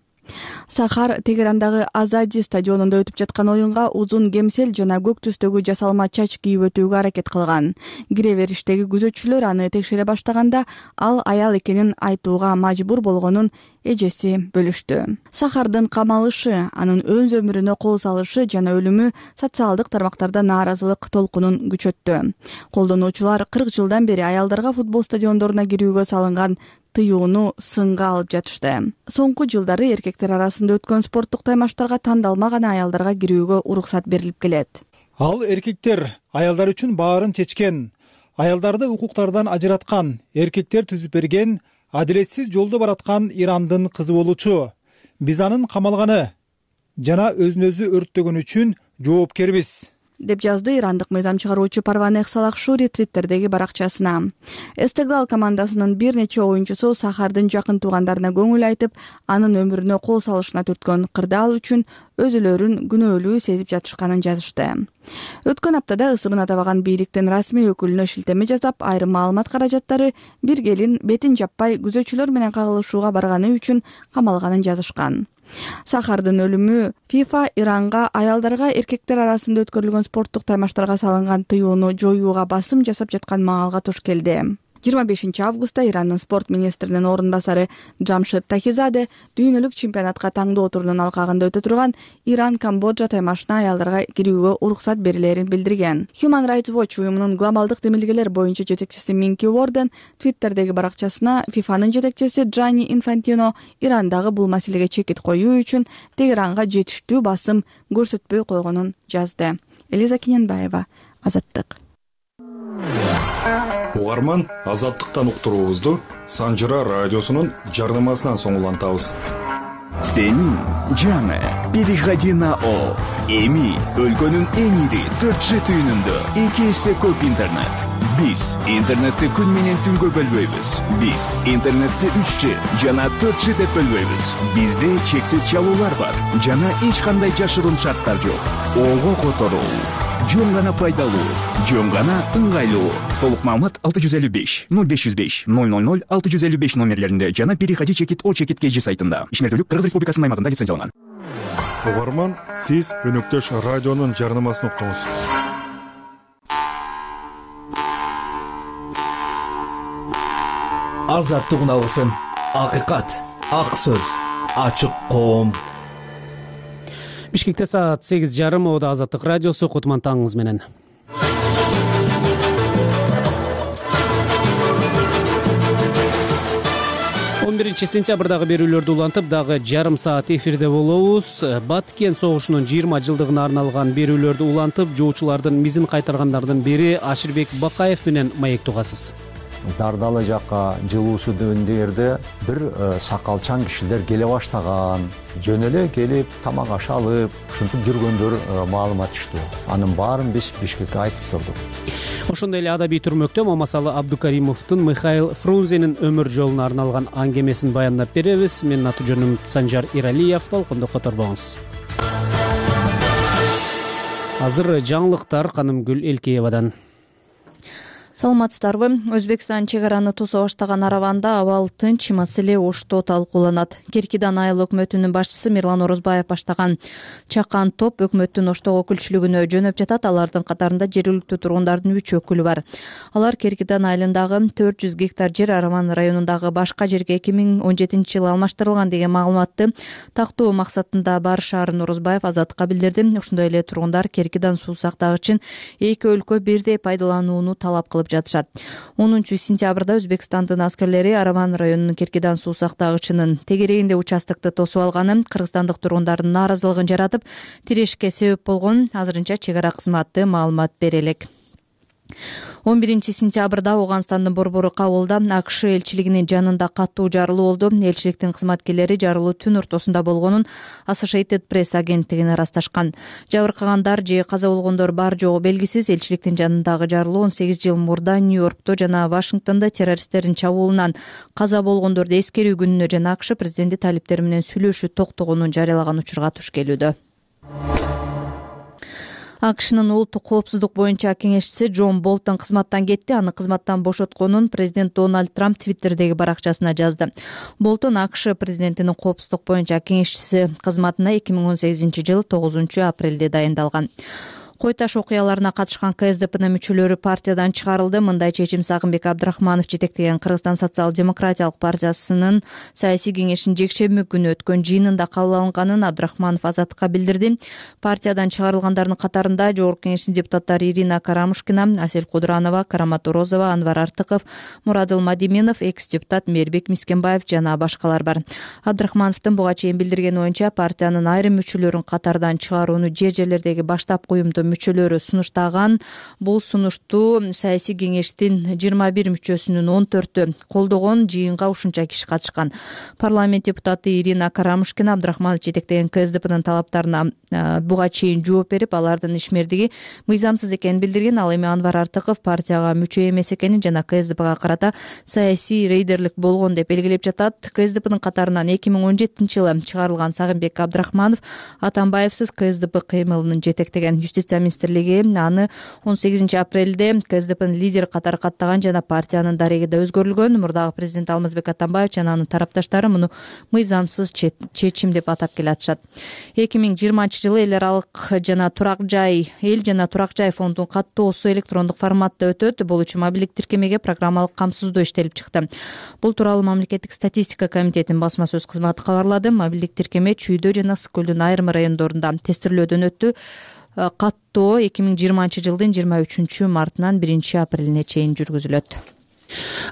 Сахар Тегерандагы Азади стадионунда өтүп жаткан оюнга узун кемсел жана көк түстөгү жасалма чач кийип өтүүгө аракет кылган. Кире бериштеги күзөтчүлөр аны текшере баштаганда ал аял экенин айтууга мажбур болгонун эжеси бөлүштү. Сахардын камалышы, анын өз өмүрүнө кол салышы жана өлүмү социалдык тармактарда нааразылык толкунун күчөттү. Колдонуучулар 40 жылдан бери аялдарга футбол стадиондоруна кирүүгө салынган тыюуну сынга алып жатышты. Соңку жылдары эркектер арасында өткөн спорттук таймаштарга тандалмаган аялдарга кирүүгө уруксат берилип келет. Ал эркектер аялдар үчүн баарын чечкен, аялдарды укуктардан ажыраткан, эркектер түзүп берген, адилетсиз жолдо бараткан Ирандын кызы болчу. Биз анын камалганы жана өзүн өзү өрттөгөн үчүн жоопкербиз, деп жазды ирандык мыйзам чыгаруучу Парванех Салахшури Твиттердеги баракчасына. Эстеглал командасынын бир нече оюнчусу Сахардын жакын туугандарына көңүл айтып, анын өмүрүнө кол салышына түрткөн кырдаал үчүн өзүлөрүн күнөөлүү сезип жатышканын жазышты. Өткөн аптада ысымын атабаган бийликтин расмий өкүлүнө шилтеме жасап, айрым маалымат каражаттары бир келин бетин жаппай күзөтчүлөр менен кагылышууга барганы үчүн камалганын жазышкан. Сахардын өлүмү FIFA Иранга аялдарга эркектер арасында өткөрүлгөн спорттук таймаштарга салынган тыюуну жоюуга басым жасап жаткан маалга туш келди. 25 августта Ирандын спорт министринин орун басары Джамшид Тахизаде дүйнөлүк чемпионатка таңдоо турунун алкагында өтө турган Иран-Камбоджа таймашына аялдарга кирүүгө уруксат берилерин билдирген. Human Rights Watch уюмунун глобалдык демилгелер боюнча жетекчиси Минки Уорден Твиттердеги баракчасына FIFAнын жетекчиси Джанни Инфантино Ирандагы бул маселеге чекит коюу үчүн Тегеранга жетиштүү басым көрсөтпөй койгонун жазды. Элиза Кененбаева, Азаттык. Угарман, Азаттыктан уктуруубузду Санжыра радиосунун жардамасынан соң улантабыз. Сенин жаңы переходи на О. Эми өлкөнүн эң ири 4G түйүнүндө 2 эсе көп интернет. Биз интернетти күн менен түнгө бөлбөйбүз. Биз интернетти 3G жана 4G деп бөлбөйбүз. Бизде чексиз чалуулар бар жана эч кандай жашыруун шарттар жок. Ого которуу. жөн гана пайдалуу, жөн гана ыңгайлуу. Толук маалымат 655 0505 000 655 номерлеринде жана Переходи чекит О чекит KG сайтында. Ишмердүүлүк Кыргыз Республикасынын аймагында лицензияланган. Угарман, сиз өнөктөш радионун жарнамасын уктуңуз. Азаттык алгысым, акыйкат, ак сөз, ачык коом. Бишкекте саат 8:30. Ода Азаттык радиосу, Кутман таңыңыз менен. 11 сентябрдагы берүүлөрдү улантып, дагы жарым саат эфирде болобуз. Баткен согушунун 20 жылдыгына арналган берүүлөрдү улантып, жоочулардын мизин кайтаргандардын бири Аширбек Бакаев менен маек тугасыз. Дардалы жакка жылуу сүдөндөрдө бир сакалчан кишилер келе баштаган. Жөн эле келип, тамак аш алып, ушинтип жүргөндөр маалымат түштү. Анын баарын биз Бишкекке айтып турдук. Ошондой эле адабий түрмөктө Мамасалы Абдукаримовдун Михаил Фрунзенин өмүр жолуна арналган аңгемесин баяндап беребиз. Менин аты жөнүм Санжар Иралиев. Толкунду которбоңуз. Азыр жаңылыктар Канымгүл Элкеевадан. Саламатсыздарбы? Өзбекстан чек араны тосо баштаган араванда абал тынч, маселе ошто талкууланат. Керкидан айыл өкмөтүнүн башчысы Мирлан Орозбаев баштаган чакан топ өкмөттүн Оштого өкүлчүлүгүнө жөнөп жатат. Алардын катарында жергиликтүү тургундардын 3 өкүлү бар. Алар Керкидан айылындагы 400 гектар жер Араман районундагы башка жерге 2017-жылы алмаштырылган деген маалыматты тактоо максатында барышаарын Орозбаев Азаттыкка билдирди. Ошондой эле тургундар Керкидан суу сактагычын эки өлкө бирдей пайдаланууну талап кылып жатышат. 10 сентябрда Өзбекстандын аскерлери Араман районунун Керкидан суу сактагычынын тегерегинде участокту тосуп алганы кыргызстандык тургундардын нааразылыгын жаратып, тирешке себеп болгон. Азырынча чек ара кызматы маалымат бере элек. 11 сентябрда Ооганстандын борбору Кабулда АКШ элчилигинин жанында каттуу жарылуу болду. Элчиликтин кызматкерлери жарылуу түн ортосунда болгонун Associated Press агенттигине ырасташкан. Жабыркагандар же каза болгондор бар жогу белгисиз. Элчиликтин жанындагы жарылуу 18 жыл мурда Нью-Йоркто жана Вашингтондо террористтердин чабуулунан каза болгондорду эскерүү күнүнө жана АКШ президенти талиптери менен сүйлөшүү токтогонун жарыялаган учурга туш келүүдө. АКШнын улуттук коопсуздук боюнча кеңешчиси Джон Болтон кызматтан кетти. Аны кызматтан бошотконун президент Дональд Трамп Твиттердеги баракчасына жазды. Болтон АКШ президентинин коопсуздук боюнча кеңешчиси кызматына 2018-жылы 9 апрелде дайындалган. Кой таш окуяларына катышкан КСДПнын мүчөлөрү партиядан чыгарылды. Мындай чечим Сагынбек Абдрахманов жетектеген Кыргызстан социал-демократиялык партиясынын саясий кеңешинин жекшемби күнү өткөн жыйынында кабыл алынганын Абдрахманов Азаттыкка билдирди. Партиядан чыгарылгандардын катарында Жогорку Кеңештин депутаттары Ирина Карамушкина, Асель Кудранова, Карамат Орозова, Анвар Артыков, Мурадыл Мадиминов, экс-депутат Мээрбек Мискенбаев жана башкалар бар. Абдрахмановдун буга чейин билдирген оюнча партиянын айрым мүчөлөрүн катардан чыгарууну жер-жерлердеги баштапкы уюмдун мүчөлөрү сунуштаган. Бул сунушту саясий кеңештин 21 мүчөсүнүн 14-ü колдогон. Жыйынга ушунча киши катышкан. Парламент депутаты Ирина Карамушкина Абдрахманов жетектеген КСДПнын талаптарына буга чейин жооп берип, алардын ишмердиги мыйзамсыз экенин билдирген. Ал эми Анвар Артыков партияга мүчө эмес экенин жана КСДПга карата саясий рейдерлик болгон деп белгилеп жатат. КСДПнын катарынан 2017-жылы чыгарылган Сагынбек Абдрахманов Атамбаевсиз КСДП кыймылын жетектеген. Юстиция министрлиги аны 18 апрелде КСДПнын лидери катары каттаган жана партиянын дарегиде өзгөрүлгөн. Мурдагы президент Алмазбек Атамбаев жана анын тарапташтары муну мыйзамсыз чечим деп атап келатышат. 2020-жылы эл аралык жана турак жай фондунун каттоосу электрондук форматта өтөт. Бул үчүн мобилдик тиркемеге программалык камсыздоо иштелип чыкты. Бул тууралуу мамлекеттик статистика комитетинин басма сөз кызматы кабарлады. Мобилдик тиркеме Чүйдө жана Ысык көлдүн айрым райондорунда тестирлөөдөн өттү. Каттоо 2020-жылдын 23 мартынан 1 апрелине чейин жүргүзүлөт.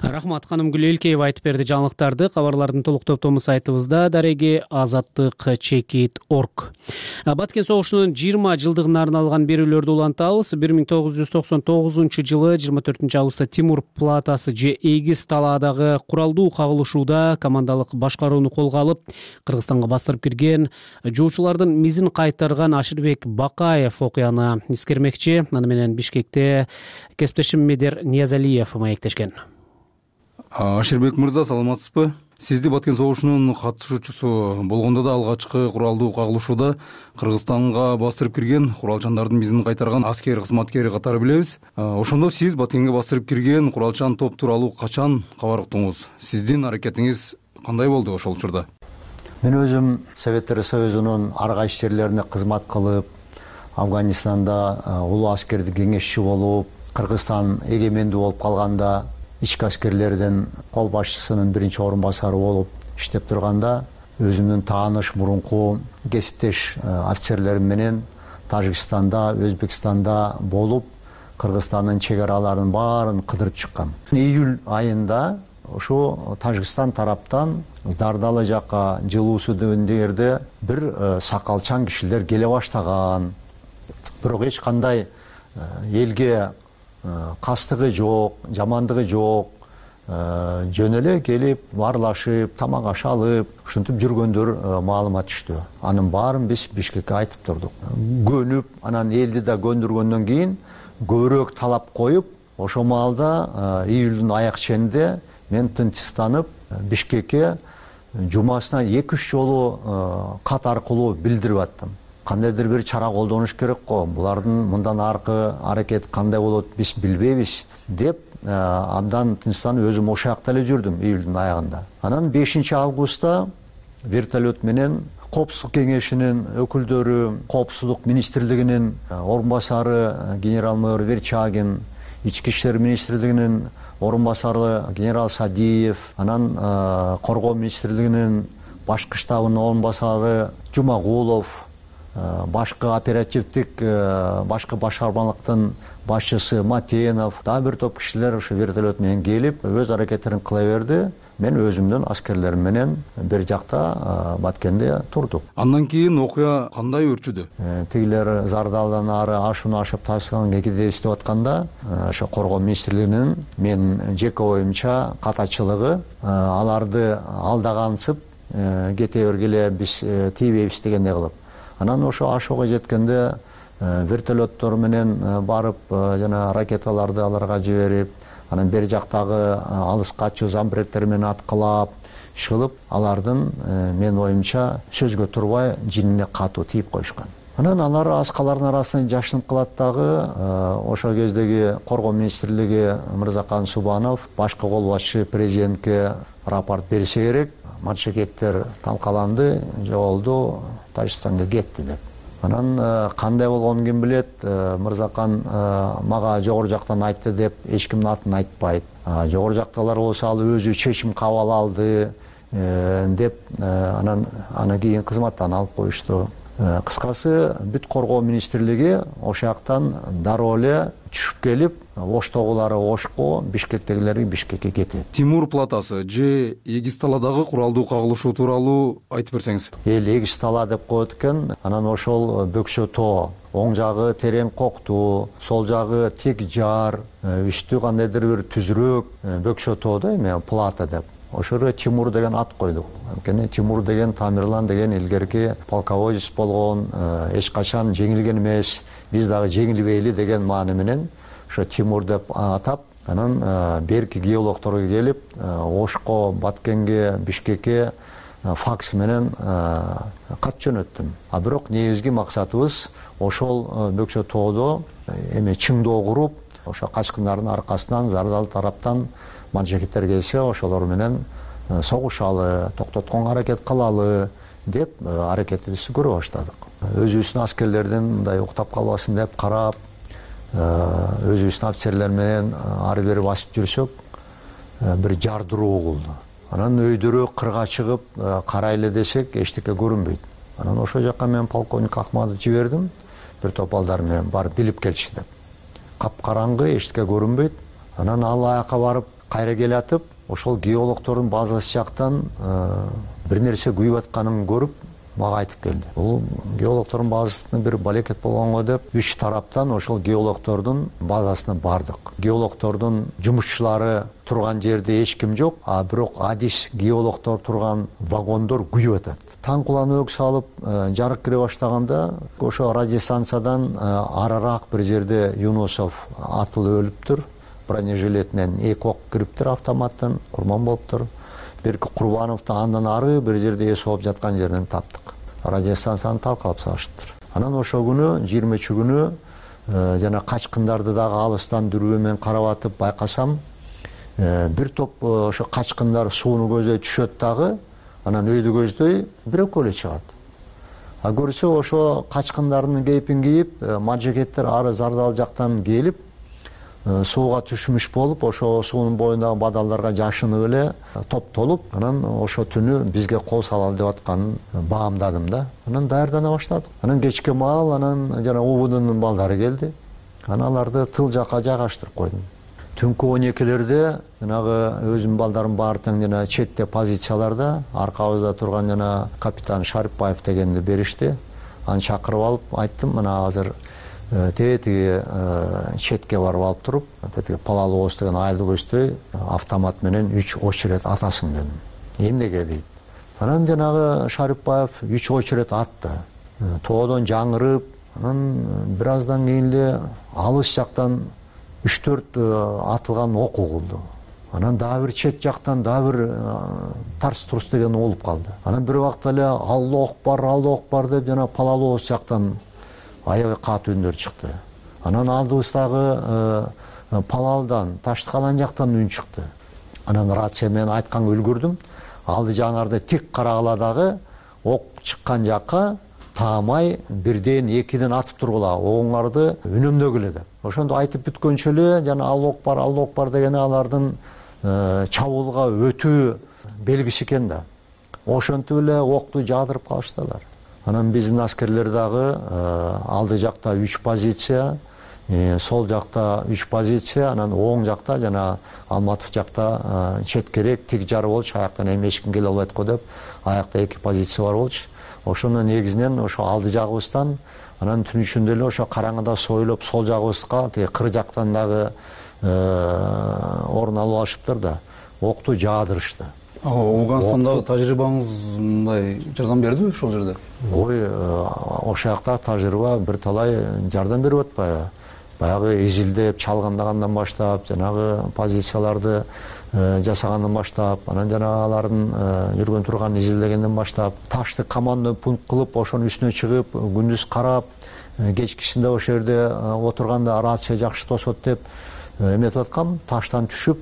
Рахмат, Канымгүл Элкеева айтып берди жаңылыктарды. Кабарлардын толук топтому сайтыбызда дареги azattik.org. Баткен согушунун 20 жылдыгына арналган берүүлөрдү улантабыз. 1999-жылы 24 августта Тимур платасы же Эгиз талаадагы куралдуу кагылышууда командалык башкарууну колго алып, Кыргызстанга бастырып кирген жоочулардын мизин кайтарган Аширбек Бакаев окуяны эскермекчи. Аны менен Бишкекте кесиптешим Медер Ниязалиев маектешкен. Аширбек мырза, саламатсызбы? Сизди Баткен согушунун катышуучусу болгондо да алгачкы куралдуу кагылышууда Кыргызстанга бастырып кирген куралчандардын изин кайтарган аскер кызматкери катары билебиз. Ошондо сиз Баткенге бастырып кирген куралчан топ тууралуу качан кабар уктуңуз? Сиздин аракетиңиз кандай болду ошол учурда? Мен өзүм Советтер Союзунун ар кайсы жерлерине кызмат кылып, Афганистанда улуу аскердик кеңешчи болуп, Кыргызстан эгемендүү болуп калганда ички аскерлердин кол башчысынын биринчи орун басары болуп иштеп турганда өзүмдүн тааныш мурунку кесиптеш офицерлерим менен Тажикстанда, Өзбекстанда болуп, Кыргызстандын чек араларын баарын кыдырып чыккам. Июль айында ошо Тажикстан тараптан Зардалы жакка жылуусу деген жерде бир сакалчан кишилер келе баштаган. Бирок эч кандай элге кастыгы жок, жамандыгы жок, жөн эле келип, баарлашып, тамак аш алып, ушинтип жүргөндөр маалымат түштү. Анын баарын биз Бишкекке айтып турдук. Көнүп, анан элди да көндүргөндөн кийин көбүрөөк талап коюп, ошол маалда июлдун аяк ченинде мен тынчсызданып Бишкекке жумасына 2-3 жолу кат аркылуу билдирип аттым. Кандайдыр бир чара колдонуш керек го, булардын мындан аркы аракет кандай болот биз билбейбиз деп абдан тынчсызданып өзүм ошол жакта эле жүрдүм июлдун аягында. Анан 5 августта вертолет менен Коопсуздук кеңешинин өкүлдөрү, Коопсуздук министрлигинин орун басары генерал-майор Верчагин, Ички иштер министрлигинин орун басары генерал Садиев, анан Коргоо министрлигинин башкы штабынын орун басары Жумагулов, башкы оперативдик башкы башкармалыктын башчысы Матенов, дагы бир топ кишилер ошо вертолет менен келип өз аракеттерин кыла берди. Мен өзүмдүн аскерлерим менен бир жакта Баткенде турдук. Андан кийин окуя кандай өрчүдү? Тигилер Зардалдан ары ашууну ашып Ташкентке кетип иштеп атканда, ошо Коргоо министрлигинин мен жеке оюмча катачылыгы аларды алдагансып кете бергиле биз тийбейбиз дегендей кылып. Анан ошо ашууга жеткенде вертолеттор менен барып жана ракеталарды аларга жиберип, анан бери жактагы алыс качуу замбреттер менен аткылап, иш кылып, алардын мен оюмча сөзгө турбай жинине катуу тийип коюшкан. Анан алар аскалардын арасынан жашынып калат дагы. Ошол кездеги Коргоо министрлиги Мырзакан Субанов башкы кол башчы президентке рапорт берсе керек. Маншекеттер талкаланды, жоголду, Тажикстанга кетти деп. Анан кандай болгонун ким билет? Мырзакан мага жогору жактан айтты деп эч кимдин атын айтпайт. Жогору жактагылар болсо ал өзү чечим кабыл алды деп анан кийин кызматтан алып коюшту. Кыскасы бүт Коргоо министрлиги ошол жактан дароо эле түшүп келип, Оштогулары Ошко, Бишкектегилери Бишкекке кетет. Тимур платасы же Эгисталадагы куралдуу кагылышуу тууралуу айтып берсеңиз. Эгистала деп коет экен. Анан ошол Бөкчө тоо, оң жагы терең коктуу, сол жагы тик жар, үстү кандайдыр бир түзүрөөк Бөкчө тоо да эме плата деп. Ошого Тимур деген ат койдук. Анткени Тимур деген Тамирлан деген илгерки полководец болгон, эч качан жеңилген эмес. Биз дагы жеңилбейли деген маани менен ошо Тимур деп атап, анан берки геологторго келип, Ошко, Баткенге, Бишкекке факс менен кат жөнөттүм. Бирок негизги максатыбыз ошол Бөкчө тоодо эме чыңдоо куруп, ошо качкындардын аркасынан Зардал тараптан манжекеттер келсе, ошолор менен согушалы, токтотконго аракет кылалы деп аракетибизди көрө баштадык. Өзүбүздүн аскерлердин мындай уктап калбасын деп карап, өзүбүздүн офицерлер менен ары бери басып жүрсөк, бир жардыруу угулду. Анан өйдөрөөк кырга чыгып карайлы десек, эчтеке көрүнбөйт. Анан ошол жакка мен полковник Акматовду жибердим, бир топ балдар менен барып билип келчи деп. Капкараңгы, эчтеке көрүнбөйт. Анан ал аяка барып кайра келатып, ошол геологтордун базасы жактан бир нерсе күйүп атканын көрүп, мага айтып келди. Бул геологтордун базасында бир балекет болгонго деп 3 тараптан ошол геологтордун базасына бардык. Геологтордун жумушчулары турган жерде эч ким жок, бирок адис геологтор турган вагондор күйүп атат. Таң куланып салып, жарык кире баштаганда ошо радиостанциядан арыраак бир жерде Юнусов атылып өлүптүр. Бронежилетинен 2 ок кириптир автоматтан, курман болуптур. берки Курбановду андан ары бир жерде эс ооп жаткан жеринен таптык. Радиостанцияны талкалап салышыптыр. Анан ошол күнү 20 күнү жана качкындарды дагы алыстан дүрбө менен карап атып байкасам, бир топ ошо качкындар сууну көздөй түшөт дагы, анан өйдү көздөй бирөкө эле чыгат. А көрсө ошо качкындардын кейпин кийип, маджекеттер ары Зардал жактан келип, сууга түшмүш болуп, ошо суунун боюндагы бадалдарга жашынып эле топтолуп, анан ошо түнү бизге кол салалы деп атканын баамдадым да. Анан даярдана баштадык. Анан кечке маал анан жана УБДнын балдары келди. Анан аларды тыл жака жайгаштырып койдум. Түнкү 12-лерде жанагы өзүмдүн балдарым баары тең жана четте позицияларда аркабызда турган жана капитан Шарипбаев дегенди беришти. Аны чакырып алып айттым, мына азыр тиги четке барып алып туруп, тиги Палалоос деген айылды көздөй автомат менен 3 очеред атасың дедим. Эмнеге дейт. Анан жанагы Шарипбаев 3 очеред атты. Тоодон жаңырып, анан бир аздан кийин эле алыс жактан 3-4 атылган ок угулду. Анан дагы бир чет жактан дагы бир тарс-турс деген угулуп калды. Анан бир убакта эле Аллах бар деп жана Палалоос жактан аябай катуу үндөр чыкты. Анан алдыбыздагы Палалдан, Таштыкалан жактан үн чыкты. Анан рация менен айтканга үлгүрдүм. Алды жаңарды тик карагыла дагы ок чыккан жакка таамай бирден экиден атып тургула, оңуңарды үнөмдөгүлө деп. Ошондо айтып бүткөнчө эле жана Аллах бар дегени алардын чабуулга өтүү белгиси экен да. Ошентип эле окту жаадырып калыштылар. Анан биздин аскерлер дагы алды жакта 3 позиция, сол жакта 3 позиция, анан оң жакта жана Алматов жакта четкерээк тик жар болчу, аяктан эми эч ким келе албайт го деп, аякта 2 позиция бар болчу. Ошонун негизинен ошо алды жагыбыздан, анан түн ичинде эле ошо караңгыда сойлоп сол жагыбызга тиги кыр жактан дагы орун алып алышыптыр да, окту жаадырышты. Афганстандагы тажрыйбаңыз мындай жардам бердиби ошол жерде? Ой, ошол жакта тажрыйба бир талай жардам берип атпайбы? Баягы изилдеп, чалгандагандан баштап, жанагы позицияларды жасагандан баштап, анан жана алардын жүргөн турган изилдегенден баштап, ташты командный пункт кылып, ошонун үстүнө чыгып, күндүз карап, кечкисинде ошол жерде отурганда рация жакшы тосот деп эметип аткам, таштан түшүп,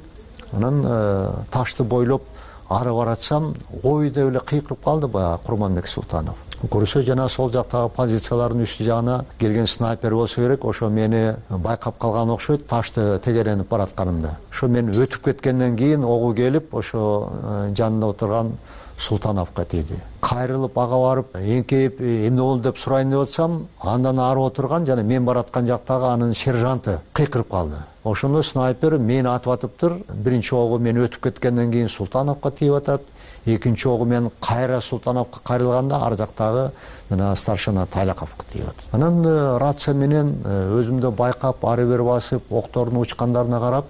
анан ташты бойлоп ары баратсам, ой деп эле кыйкырып калды баягы Курманбек Султанов. Көрсө жана сол жактагы позициялардын үстү жагына келген снайпер болсо керек, ошо мени байкап калган окшойт, ташты тегеренип баратканымда. Ошо мен өтүп кеткенден кийин огу келип, ошо жанында отурган Султановго тийди. Кайрылып ага барып, эңкейип эмне болду деп сурайын деп атсам, андан ары отурган жана мен бараткан жактагы анын сержанты кыйкырып калды. Ошондо снайпер мени атып атыптыр. Биринчи огу мен өтүп кеткенден кийин Султановго тийип атат. Экинчи огу мен кайра Султановго кайрылганда ар жактагы жана старшина Тайлаковго тийип атат. Анан рация менен өзүмдү байкап, ары бери басып, октордун учкандарына карап,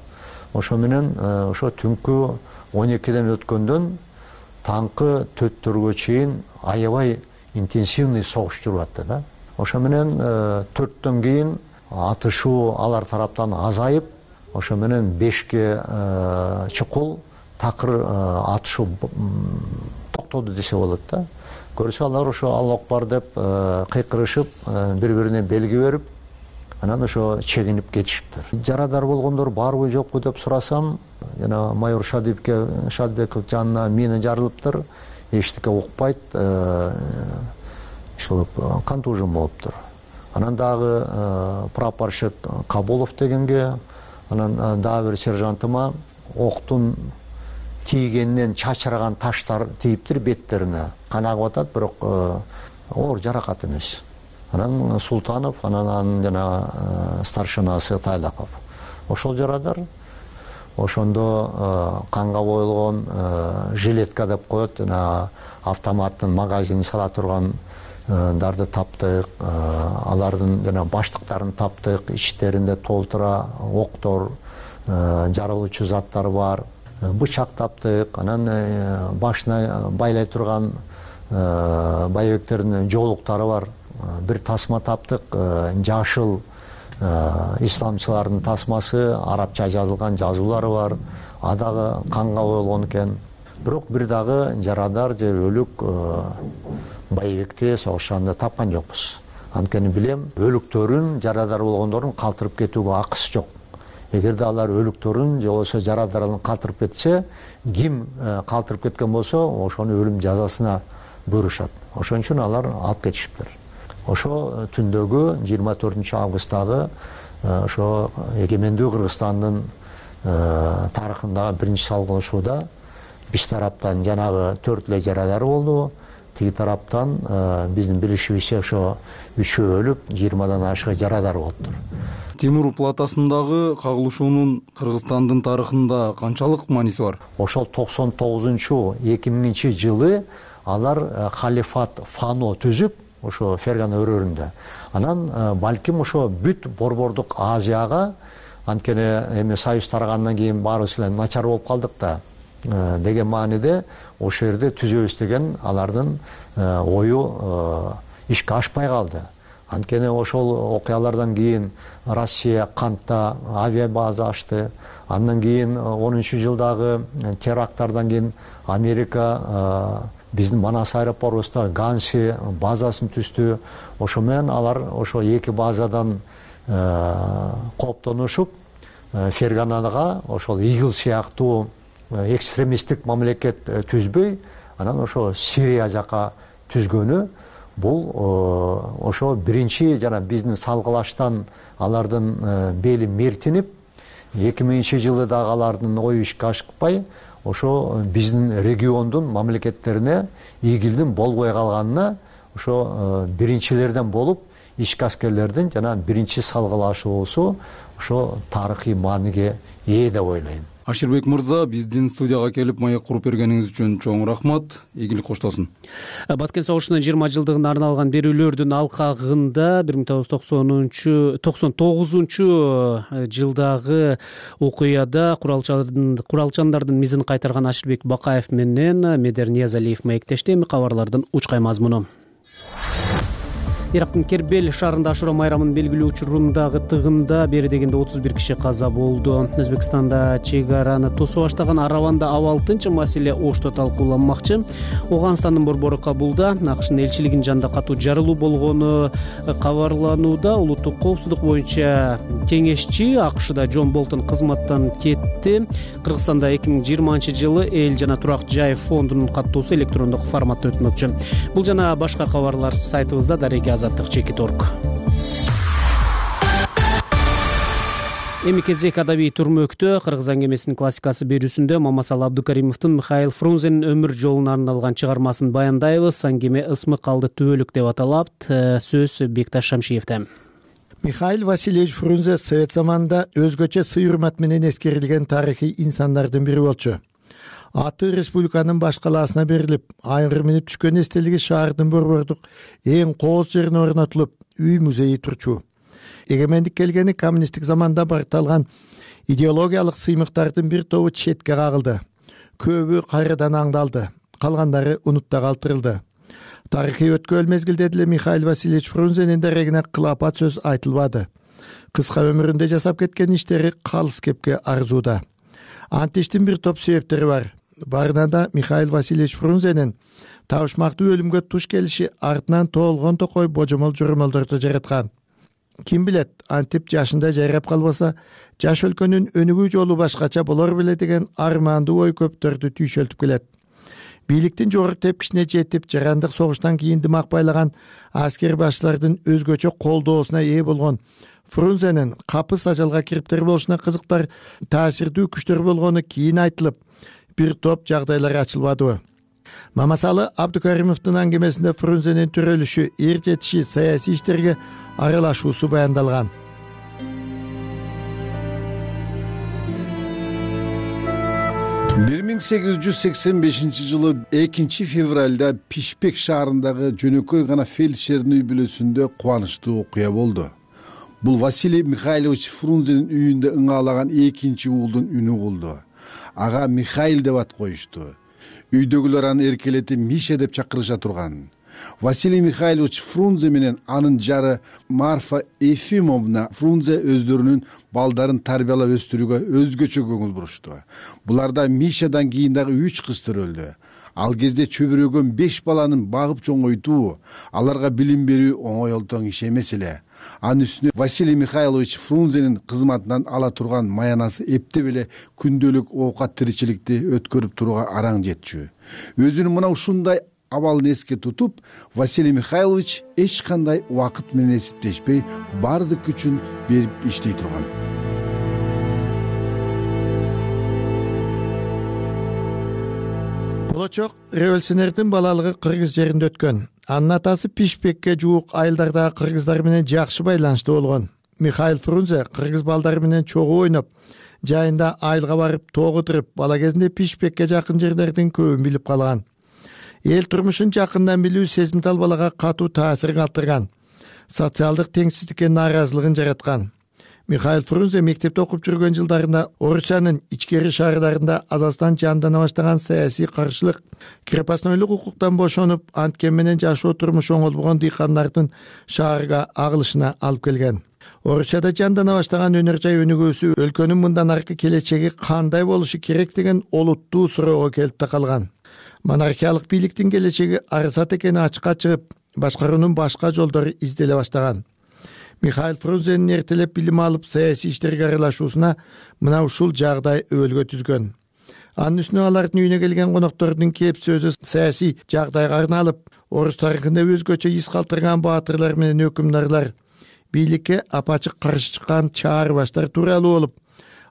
ошо менен ошо түнкү 12ден өткөндөн таңкы 4-төргө чейин аябай интенсивный согуш жүрүп атты да. Ошо менен 4төн кийин атышуу алар тараптан азайып, ошо менен 5ке чукул такыр атышуу токтоду десе болот да. Көрсө алар ошо Аллах бар деп кыйкырышып, бири-бирине белги берип, анан ошо чегинип кетишиптир. Жарадар болгондор барбы жокпу деп сурасам, жана майор Шадбеков жанына мина жарылыптыр, эчтеке укпайт, ошол контужен болуптур. Анан дагы прапорщик Кабулов дегенге, анан дагы бир сержантыма октун тийгенинен чачыраган таштар тийиптир беттерине. Кан агып атат, бирок оор жаракат эмес. Анан Султанов, анан жана старшинасы Тайлаков. Ошол жарадар. Ошондо канга боелгон жилетка деп коет, жана автоматтын магазинин сала турган дарды таптык, алардын жана баштыктарын таптык, ичтеринде толтура октор, жарылуучу заттар бар, бычак таптык, анан башына байлай турган байбектердин жоолуктары бар, бир тасма таптык, жашыл исламчылардын тасмасы, арабча жазылган жазуулары бар, адагы канга боелгон экен. бирок бир дагы жарадар же өлүк Байбекте согушканда тапкан жокпуз. Анткени билем, өлүктөрүн, жарадар болгондордун калтырып кетүүгө акысы жок. Эгерде алар өлүктөрүн же болбосо жарадарын калтырып кетсе, ким калтырып кеткен болсо, ошону өлүм жазасына буйрушат. Ошон үчүн алар алып кетишиптир. Ошо түндөгү 24 августтагы ошо эгемендүү Кыргызстандын тарыхындагы биринчи салгылашууда биз тараптан жанагы 4 эле жарадар болду. Тиги тараптан биздин билишибизче ошо 3 өлүп, 20дан ашык жарадар болуптур. Темур платасындагы кагылышуунун Кыргызстандын тарыхында канчалык мааниси бар? Ошол 99-2000 жылы алар халифат Фано түзүп, ошо Фергана өрөөрүндө. Анан балким ошо бүт Борбордук Азияга, анткени эми союз тарагандан кийин баарыбыз эле начар болуп калдык да деген мааниде ошол жерде түзөбүз деген алардын ою ишке ашпай калды. Анткени ошол окуялардан кийин Россия Кантта авиабаза ачты. Андан кийин 10-жылдагы теракттардан кийин Америка биздин Манас аэропортубузда Ганси базасын түздү. Ошо менен алар ошо эки базадан кооптонушуп Ферганага ошол ИГИЛ сыяктуу экстремисттик мамлекет түзбөй, анан ошо Сирия жака түзгөнү бул ошо биринчи жана биздин салгылаштан алардын бели мертинип, 2000 жылы дагы алардын ою ишке ашпай, ошо биздин региондун мамлекеттерине ИГИЛдин болбой калганына ошо биринчилерден болуп, ички аскерлердин жана биринчи салгылашуусу ошо тарыхый мааниге ээ деп ойлойм. Аширбек мырза, биздин студияга келип маек куруп бергениңиз үчүн чоң рахмат. Ийгилик коштосун. Баткен согушунун 20 жылдыгына арналган берүүлөрдүн алкагында 1999 жылдагы окуяда куралчандардын мизин кайтарган Аширбек Бакаев менен Медер Ниязалиев маектешти. Эми кабарлардын учкай мазмуну. Ирактын Кербел шаарында Ашура майрамын белгилүү учурундагы тыгында бери дегенде 31 киши каза болду. Өзбекстанда чек араны тосуп баштаган Араванда абал-тынч маселе ошто талкууланмакчы. Ооганстандын борбору Кабулда АКШнын элчилигинин жанында катуу жарылуу болгону кабарланууда. Улуттук коопсуздук боюнча кеңешчи АКШда Джон Болтон кызматтан кетти. Кыргызстанда 2020 жылы эл жана турак жай фондунун каттоосу электрондук форматта өтмөкчү. Бул жана башка кабарлар сайтыбызда дареги Азаттык.org. Эми кезек адабий турмөктө Кыргыз аңгемесинин классикасы берүүсүндө Мамасал Абдукаримовдун Михаил Фрунзенин өмүр жолуна арналган чыгармасын баяндайбыз. Аңгеме ысмык калды түбөлүк деп аталат. Сөз Бекташ Шамшиевде. Михаил Васильевич Фрунзе совет заманында өзгөчө сый-урмат менен эскерилген тарыхый инсандардын бири болчу. Аты республиканын баш калаасына берилип, айгыр минип түшкөн эстелиги шаардын борбордук эң кооз жерине орнотулуп, үй музейи турчу. Эгемендик келгени коммунисттик заманда баркталган идеологиялык сыймыктардын бир тобу четке кагылды. Көбү кайрадан аңдалды, калгандары унутта калтырылды. Тарыхый өткөл мезгилде деле Михаил Васильевич Фрунзенин дарегине кылапат сөз айтылбады. Кыска өмүрүндө жасап кеткен иштери калыс кепке арзууда. Антиштин бир топ себептери бар. Барынан да Михаил Васильевич Фрунзенин табышмактуу өлүмгө туш келиши артынан тоолгон токой божомол жормолдорду жараткан. Ким билет, антип жашында жайрап калбаса, жаш өлкөнүн өнүгүү жолу башкача болор беле деген армандуу ой көптөрдү түйшөлтүп келет. Бийликтин жогорку тепкичине жетип, жарандык согуштан кийин дымак байлаган аскер башчылардын өзгөчө колдоосуна ээ болгон Фрунзенин капыс ажалга кириптер болушуна кызыктар таасирдүү күчтөр болгону кийин айтылып, бир топ жагдайлар ачылбадыбы. Мамасалы Абдукаримовдун аңгемесинде Фрунзенин төрөлүшү, эр жетиши, саясий иштерге аралашуусу баяндалган. Бир 1885 жылы 2 февралда Пишпек шаарындагы жөнөкөй гана фельдшердин үй бүлөсүндө кубанычтуу окуя болду. Бул Василий Михайлович Фрунзенин үйүндө ыңаалаган экинчи уулдун үнү болду. Ага Михаил деп ат коюшту. Үйдөгүлөр аны эркелетип Миша деп чакырыша турган. Василий Михайлович Фрунзе менен анын жары Марфа Ефимовна Фрунзе өздөрүнүн балдарын тарбиялап өстүрүүгө өзгөчө көңүл бурушту. Буларда Мишадан кийин дагы 3 кыз төрөлдү. Ал кезде чөбүрөгөн 5 баланын багып чоңойтуу, аларга билим берүү оңой олтоң иш эмес эле. Анын үстүнө Василий Михайлович Фрунзенин кызматынан ала турган маянасы эптеп эле күндөлүк оокат тиричиликти өткөрүп турууга араң жетчү. Өзүнүн мына ушундай абалын эске тутуп, Василий Михайлович эч кандай убакыт менен эсептешпей бардык күчүн берип иштей турган. Болочок революционердин балалыгы Кыргыз жеринде өткөн. Анын атасы Пишпекке жуук айылдардагы кыргыздар менен жакшы байланыштуу болгон. Михаил Фрунзе кыргыз балдары менен чогуу ойноп, жайында айылга барып тоого туруп, бала кезинде Пишпекке жакын жерлердин көбүн билип калган. Эл турмушун жакындан билүү сезимтал балага катуу таасир калтырган. Социалдык теңсиздикке нааразылыгын жараткан. Михаил Фрунзе мектепте окуп жүргөн жылдарында Орусиянын ичкери шаардарында азастан жандана баштаган саясий каршылык, крепостнойлук укуктан бошонуп, анткен менен жашоо турмушу оңолбогон дыйкандардын шаарга агылышына алып келген. Орусияда жандана баштаган өнөр жай өнүгүүсү өлкөнүн мындан аркы келечеги кандай болушу керек деген олуттуу суроого келип такалган. Монархиялык бийликтин келечеги арасат экени ачыкка чыгып, башкаруунун башка жолдору изделе баштаган. Михаил Фрунзенин эртелеп билим алып саясий иштерге аралашуусуна мына ушул жагдай өбөлгө түзгөн. Анын үстүнө алардын үйүнө келген коноктордун кеп сөзү саясий жагдайга арналып, орус тарыхында өзгөчө из калтырган баатырлар менен өкүмдарлар, бийликке апачык каршы чыккан чаарбаштар тууралуу болуп,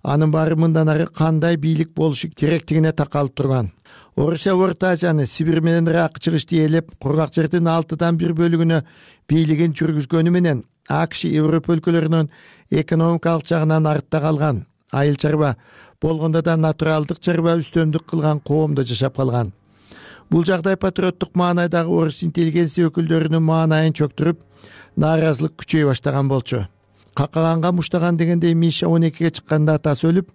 анын баары мындан ары кандай бийлик болушу керектигине такалып турган. Орусия Орто Азияны Сибирь менен Ирак чыгышты ээлеп, кургак жердин 1/6 бөлүгүнө бийлигин жүргүзгөнү менен АКШ Европа өлкөлөрүнөн экономикалык жагынан артта калган, айыл чарба болгондо да натуралдык чарба үстөмдүк кылган коомдо жашап калган. Бул жагдай патриоттук маанайдагы орус интеллигенция өкүлдөрүнүн маанайын чөктүрүп, нааразылык күчөй баштаган болчу. Какаганга муштаган дегендей Миша 12-ге чыкканда атасы өлүп,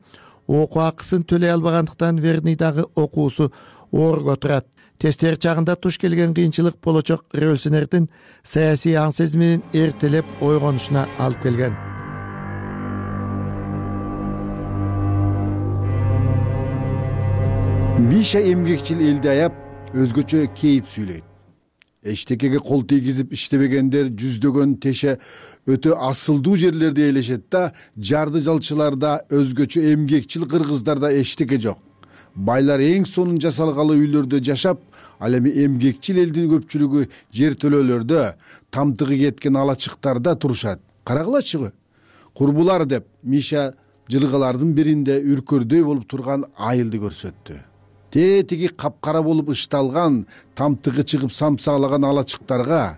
окуу акысын төлөй албагандыктан Верныйдагы окуусу оорго турат. Тестер чагында туш келген кыйынчылык болочок революционердин саясий аң сезиминин эртелеп ойгонушуна алып келген. Миша эмгекчил элди аяп, өзгөчө кейип сүйлөйт. Эчтекеге кол тийгизип иштебегендер жүздөгөн теше өтө асылдуу жерлерде элешет да, жарды жалчыларда, өзгөчө эмгекчил кыргыздарда эчтеке жок. Байлар эң сонун жасалгалы үйлөрдө жашап, ал эми эмгекчил элдин көпчүлүгү жер төлөөлөрдө, тамтыгы кеткен алачыктарда турушат. Карагылачы, курбулар деп Миша жылгалардын биринде үркөрдөй болуп турган айылды көрсөттү. Тетиги капкара болуп ышталган, тамтыгы чыгып самсалаган алачыктарга,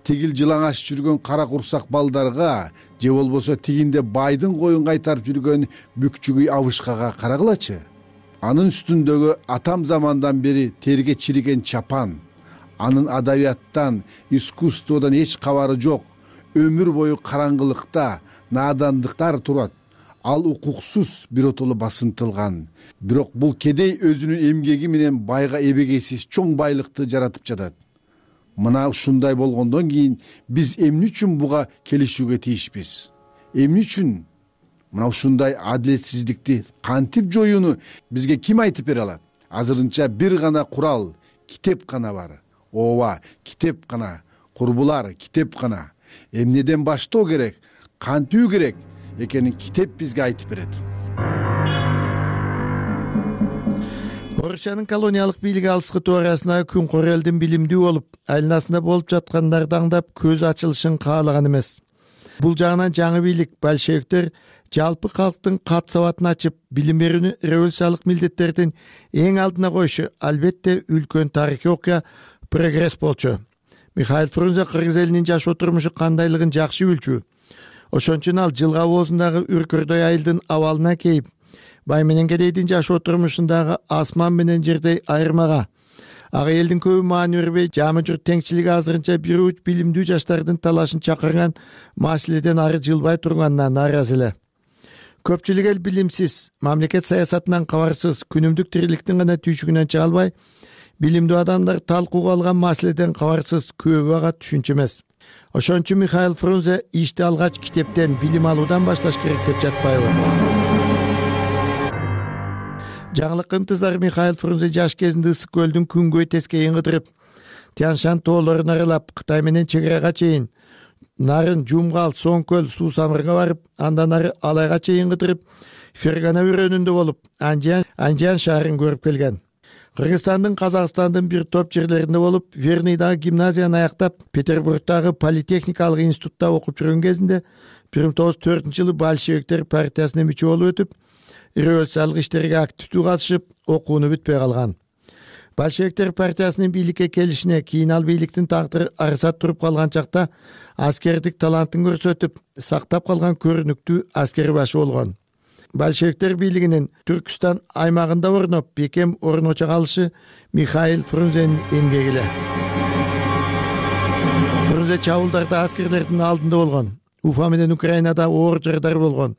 тигил жылаңаш жүргөн кара курсак балдарга, же болбосо тигинде байдын коюн кайтарып жүргөн бүкчүгүй абышкага карагылачы. Анын үстүндөгү атам замандан бери терге чириген чапан, анын адабияттан, искусстводон эч кабары жок, өмүр бою караңгылыкта, наадандыктар турат. Ал укуксуз биротоло басынтылган. Бирок бул кедей өзүнүн эмгеги менен байга эбегейсиз чоң байлыкты жаратып жатат. Мына ушундай болгондон кийин биз эмне үчүн буга келишүүгө тийишпиз? Эмне үчүн мына ушундай адилетсиздикти кантип жоюуну бизге ким айтып бере алат? Азырынча бир гана курал, китеп гана бар. Ооба, китеп гана. Курбулар, китеп гана. Эмнеден баштоо керек, кантүү керек экенин китеп бизге айтып берет. Орусиянын колониялык бийлиги алыскы туурасына күн кор элдин билимдүү болуп, айланасында болуп жаткандарды аңдап көз ачылышын каалаган эмес. Бул жагынан жаңы бийлик большевиктер жалпы калктын кат сабатын ачып, билим берүүнү революциялык милдеттердин эң алдына коюшу албетте үлкөн тарыхый окуя, прогресс болчу. Михаил Фрунзе кыргыз элинин жашоо турмушу кандайлыгын жакшы билчү. Ошон үчүн ал жылга оозундагы үркөрдөй айылдын абалына кейип, бай менен кедейдин жашоо турмушундагы асман менен жердей айырмага, ага элдин көбү маани бербей, жамы журт теңчилиги азырынча бир уч билимдүү жаштардын талашын чакырган маселеден ары жылбай турганына нааразы эле. Көпчүлүк эл билимсиз, мамлекет саясатынан кабарсыз, күнүмдүк тириликтин гана түйшүгүнөн чыга албай, билимдүү адамдар талкууга алган маселеден кабарсыз, көбү ага түшүнчү эмес. Ошон үчүн Михаил Фрунзе ишти алгач китептен, билим алуудан башташ керек деп жатпайбы? Жаңылыкка ынтызар Михаил Фрунзе жаш кезинде ысык көлдүн күнгөй тескейин кыдырып, Тяншан тоолорун аралап, Кытай менен чек арага чейин, нарын Жумгал, Соңкөл, Суу Самырга барып, андан ары Алайга чейин кыдырып, Фергана өрөөнүндө болуп, Анжиан шаарын көрүп келген. Кыргызстандын, Казакстандын бир топ жерлеринде болуп, Верныйдагы гимназияны аяктап, Петербургдагы политехникалык институтта окуп жүргөн кезинде 1904-жылы большевиктер партиясына мүчө болуп өтүп, революциялык иштерге активдүү катышып, окууну бүтпөй калган. Большевиктер партиясынын бийликке келишине кийин ал бийликтин тагдыры арсат туруп калган чакта аскердик талантын көрсөтүп, сактап калган көрүнүктүү аскер башы болгон. Большевиктер бийлигинин Түркүстан аймагында орноп, бекем орночо калышы Михаил Фрунзенин эмгеги эле. Фрунзе чабуулдарда аскерлердин алдында болгон. Уфа менен Украинада оор жайдар болгон.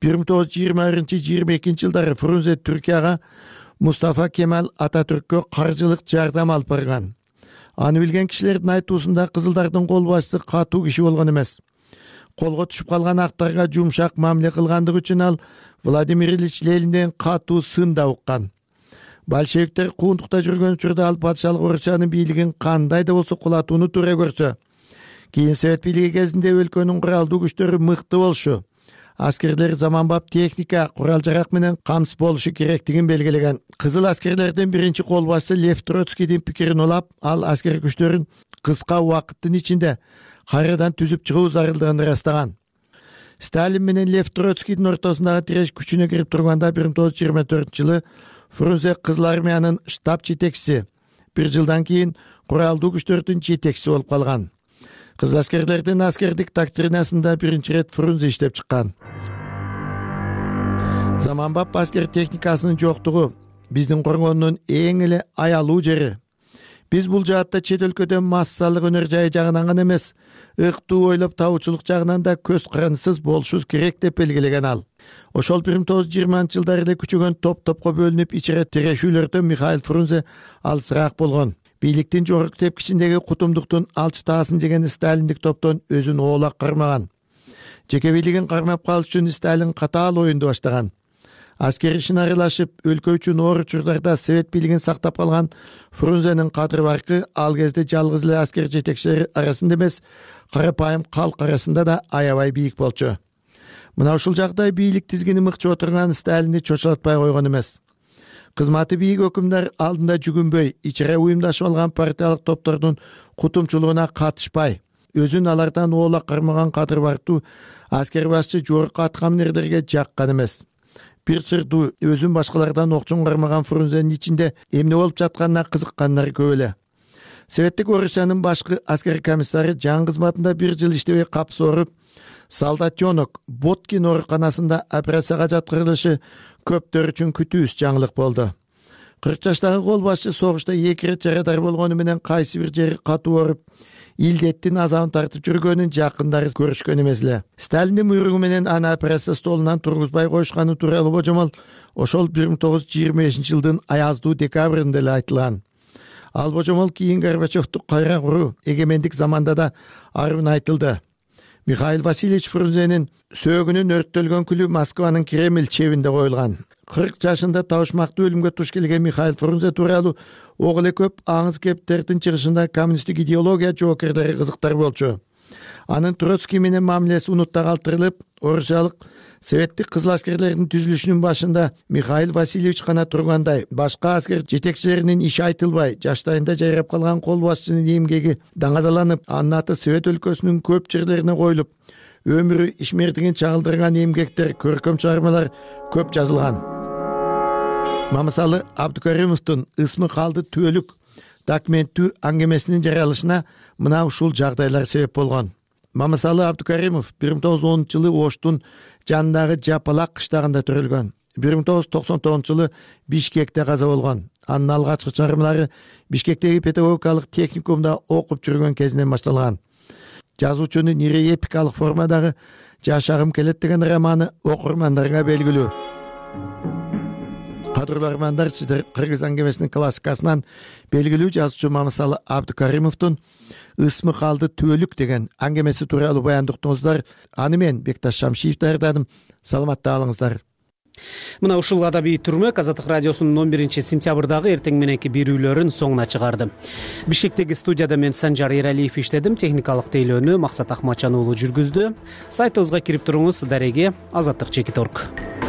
1921-22 жылдары Фрунзе Түркияга Мустафа Кемал Ататүрккө каржылык жардам алып барган. Аны билген кишилердин айтуусунда кызылдардын кол башчысы катуу киши болгон эмес. Колго түшүп калган актарга жумшак мамиле кылгандыгы үчүн ал Владимир Ильич Ленинден катуу сын да уккан. Большевиктер куундукта жүргөн учурда ал патшалык Орусиянын бийлигин кандай да болсо кулатууну туура көрсө, кийин Совет бийлиги кезинде өлкөнүн куралдуу күчтөрү мыкты болушу, аскерлер заманбап техника, курал-жарак менен камсыз болушу керектигин белгилеген. Кызыл аскерлердин биринчи кол башчысы Лев Троцкийдин пикирин улап, ал аскер күчтөрүн кыска убакыттын ичинде кайрадан түзүп чыгуу зарылдыгын ырастаган. Сталин менен Лев Троцкийдин ортосундагы тиреш күчүнө кирип турганда 1924-жылы Фрунзе Кызыл армиянын штаб жетекчиси, бир жылдан кийин куралдуу күчтөрдүн жетекчиси болуп калган. Кызыл аскерлердин аскердик доктринасында биринчи ирет Фрунзе иштеп чыккан. Заманбап аскер техникасынын жоктугу биздин коргондун эң эле аялуу жери. Биз бул жаатта чет өлкөдөн массалык өнөр жайы жагынан гана эмес, ыктуу ойлоп табуучулук жагынан да көз карандысыз болушубуз керек деп белгилеген ал. Ошол 1920-жылдары эле күчөгөн топ-топко бөлүнүп ичире тирешүүлөрдөн Михаил Фрунзе алысыраак болгон. Бийликтин жогорку тепкичиндеги кутумдуктун алчы таасын жеген сталиндик топтон өзүн оолак кармаган. Жеке бийлигин кармап калыш үчүн Сталин катаал оюнду баштаган. Аскер ишин аралашып, өлкө үчүн оор учурдарда Совет бийлигин сактап калган Фрунзенин кадыр баркы ал кезде жалгыз эле аскер жетекчилери арасында эмес, карапайым калк арасында да аябай бийик болчу. Мына ушул жагдай бийлик тизгини мыкчып отурган Сталинди чочулатпай койгон эмес. Кызматы бийик өкүмдөр алдында жүгүнбөй, ичере уюмдашып алган партиялык топтордун кутумчулугуна катышпай, өзүн алардан оолак кармаган кадыр барктуу аскер башчы жогорку аткаминерлерге жаккан эмес. Бир сырдуу өзүн башкалардан окчун кармаган Фрунзенин ичинде эмне болуп жатканына кызыккандар көп эле. Советтик Орусиянын башкы аскер комиссары жан кызматында бир жыл иштебей капс ооруп, Солдатенок Боткин ооруканасында операцияга жаткырылышы көптөр үчүн күтүүсүз жаңылык болду. 40 жаштагы кол башчы согушта 2 ирет жарадар болгону менен кайсы бир жери катуу ооруп, илдеттин азабын тартып жүргөнүн жакындары көрүшкөн эмес эле. Сталиндин буйругу менен аны операция столунан тургузбай коюшканы тууралуу божомол ошол 1925-жылдын аяздуу декабрында эле айтылган. Ал божомол кийин Горбачевду кайра куруу эгемендик заманда да арын айтылды. Михаил Васильевич Фрунзенин сөөгүнүн өрттөлгөн күлү Москванын Кремль чебинде коюлган. 40 жашында табышмактуу өлүмгө туш келген Михаил Фрунзе тууралуу ок эле көп аңыз кептердин чыгышында коммунисттик идеология жоокерлери кызыктар болчу. Анын Троцкий менен мамилеси унутта калтырылып, орусиялык советтик кызыл аскерлердин түзүлүшүнүн башында Михаил Васильевич гана тургандай, башка аскер жетекчилеринин иши айтылбай, жаштайында жайрап калган кол башчынын эмгеги даңазаланып, анын аты Совет өлкөсүнүн көп жерлерине коюлуп, өмүрү ишмердигин чагылдырган эмгектер, көркөм чыгармалар көп жазылган. Мамысалы Абдукаримовдун ысмы калды түбөлүк документтүү аңгемесинин жарыялышына мына ушул жагдайлар себеп болгон. Мамысалы Абдукаримов 1910-жылы Оштун жанындагы Жапалак кыштагында төрөлгөн. 1999-жылы Бишкекте каза болгон. Анын алгачкы чыгармалары Бишкектеги педагогикалык техникумда окуп жүргөн кезинен башталган. Жазуучунун ири эпикалык формадагы Жашагым келет деген романы окурмандарга белгилүү. кадырлуу армандар, сиздер кыргыз аңгемесинин классикасынан белгилүү жазуучу Мамысалы Абдыкаримовдун ысмы калды түбөлүк деген аңгемеси тууралуу баяндыктыңыздар. Аны мен Бекташ Шамшиев даярдадым. Саламатта калыңыздар. Мына ушул адабий түрмөк Азаттык радиосунун 11-сентябрдагы эртең мененки берүүлөрүн соңуна чыгарды. Бишкектеги студияда мен Санжар Эралиев иштедим, техникалык тейлөөнү Максат Ахматжан уулу жүргүздү. Сайтыбызга кирип туруңуз, дареге Азаттык.org.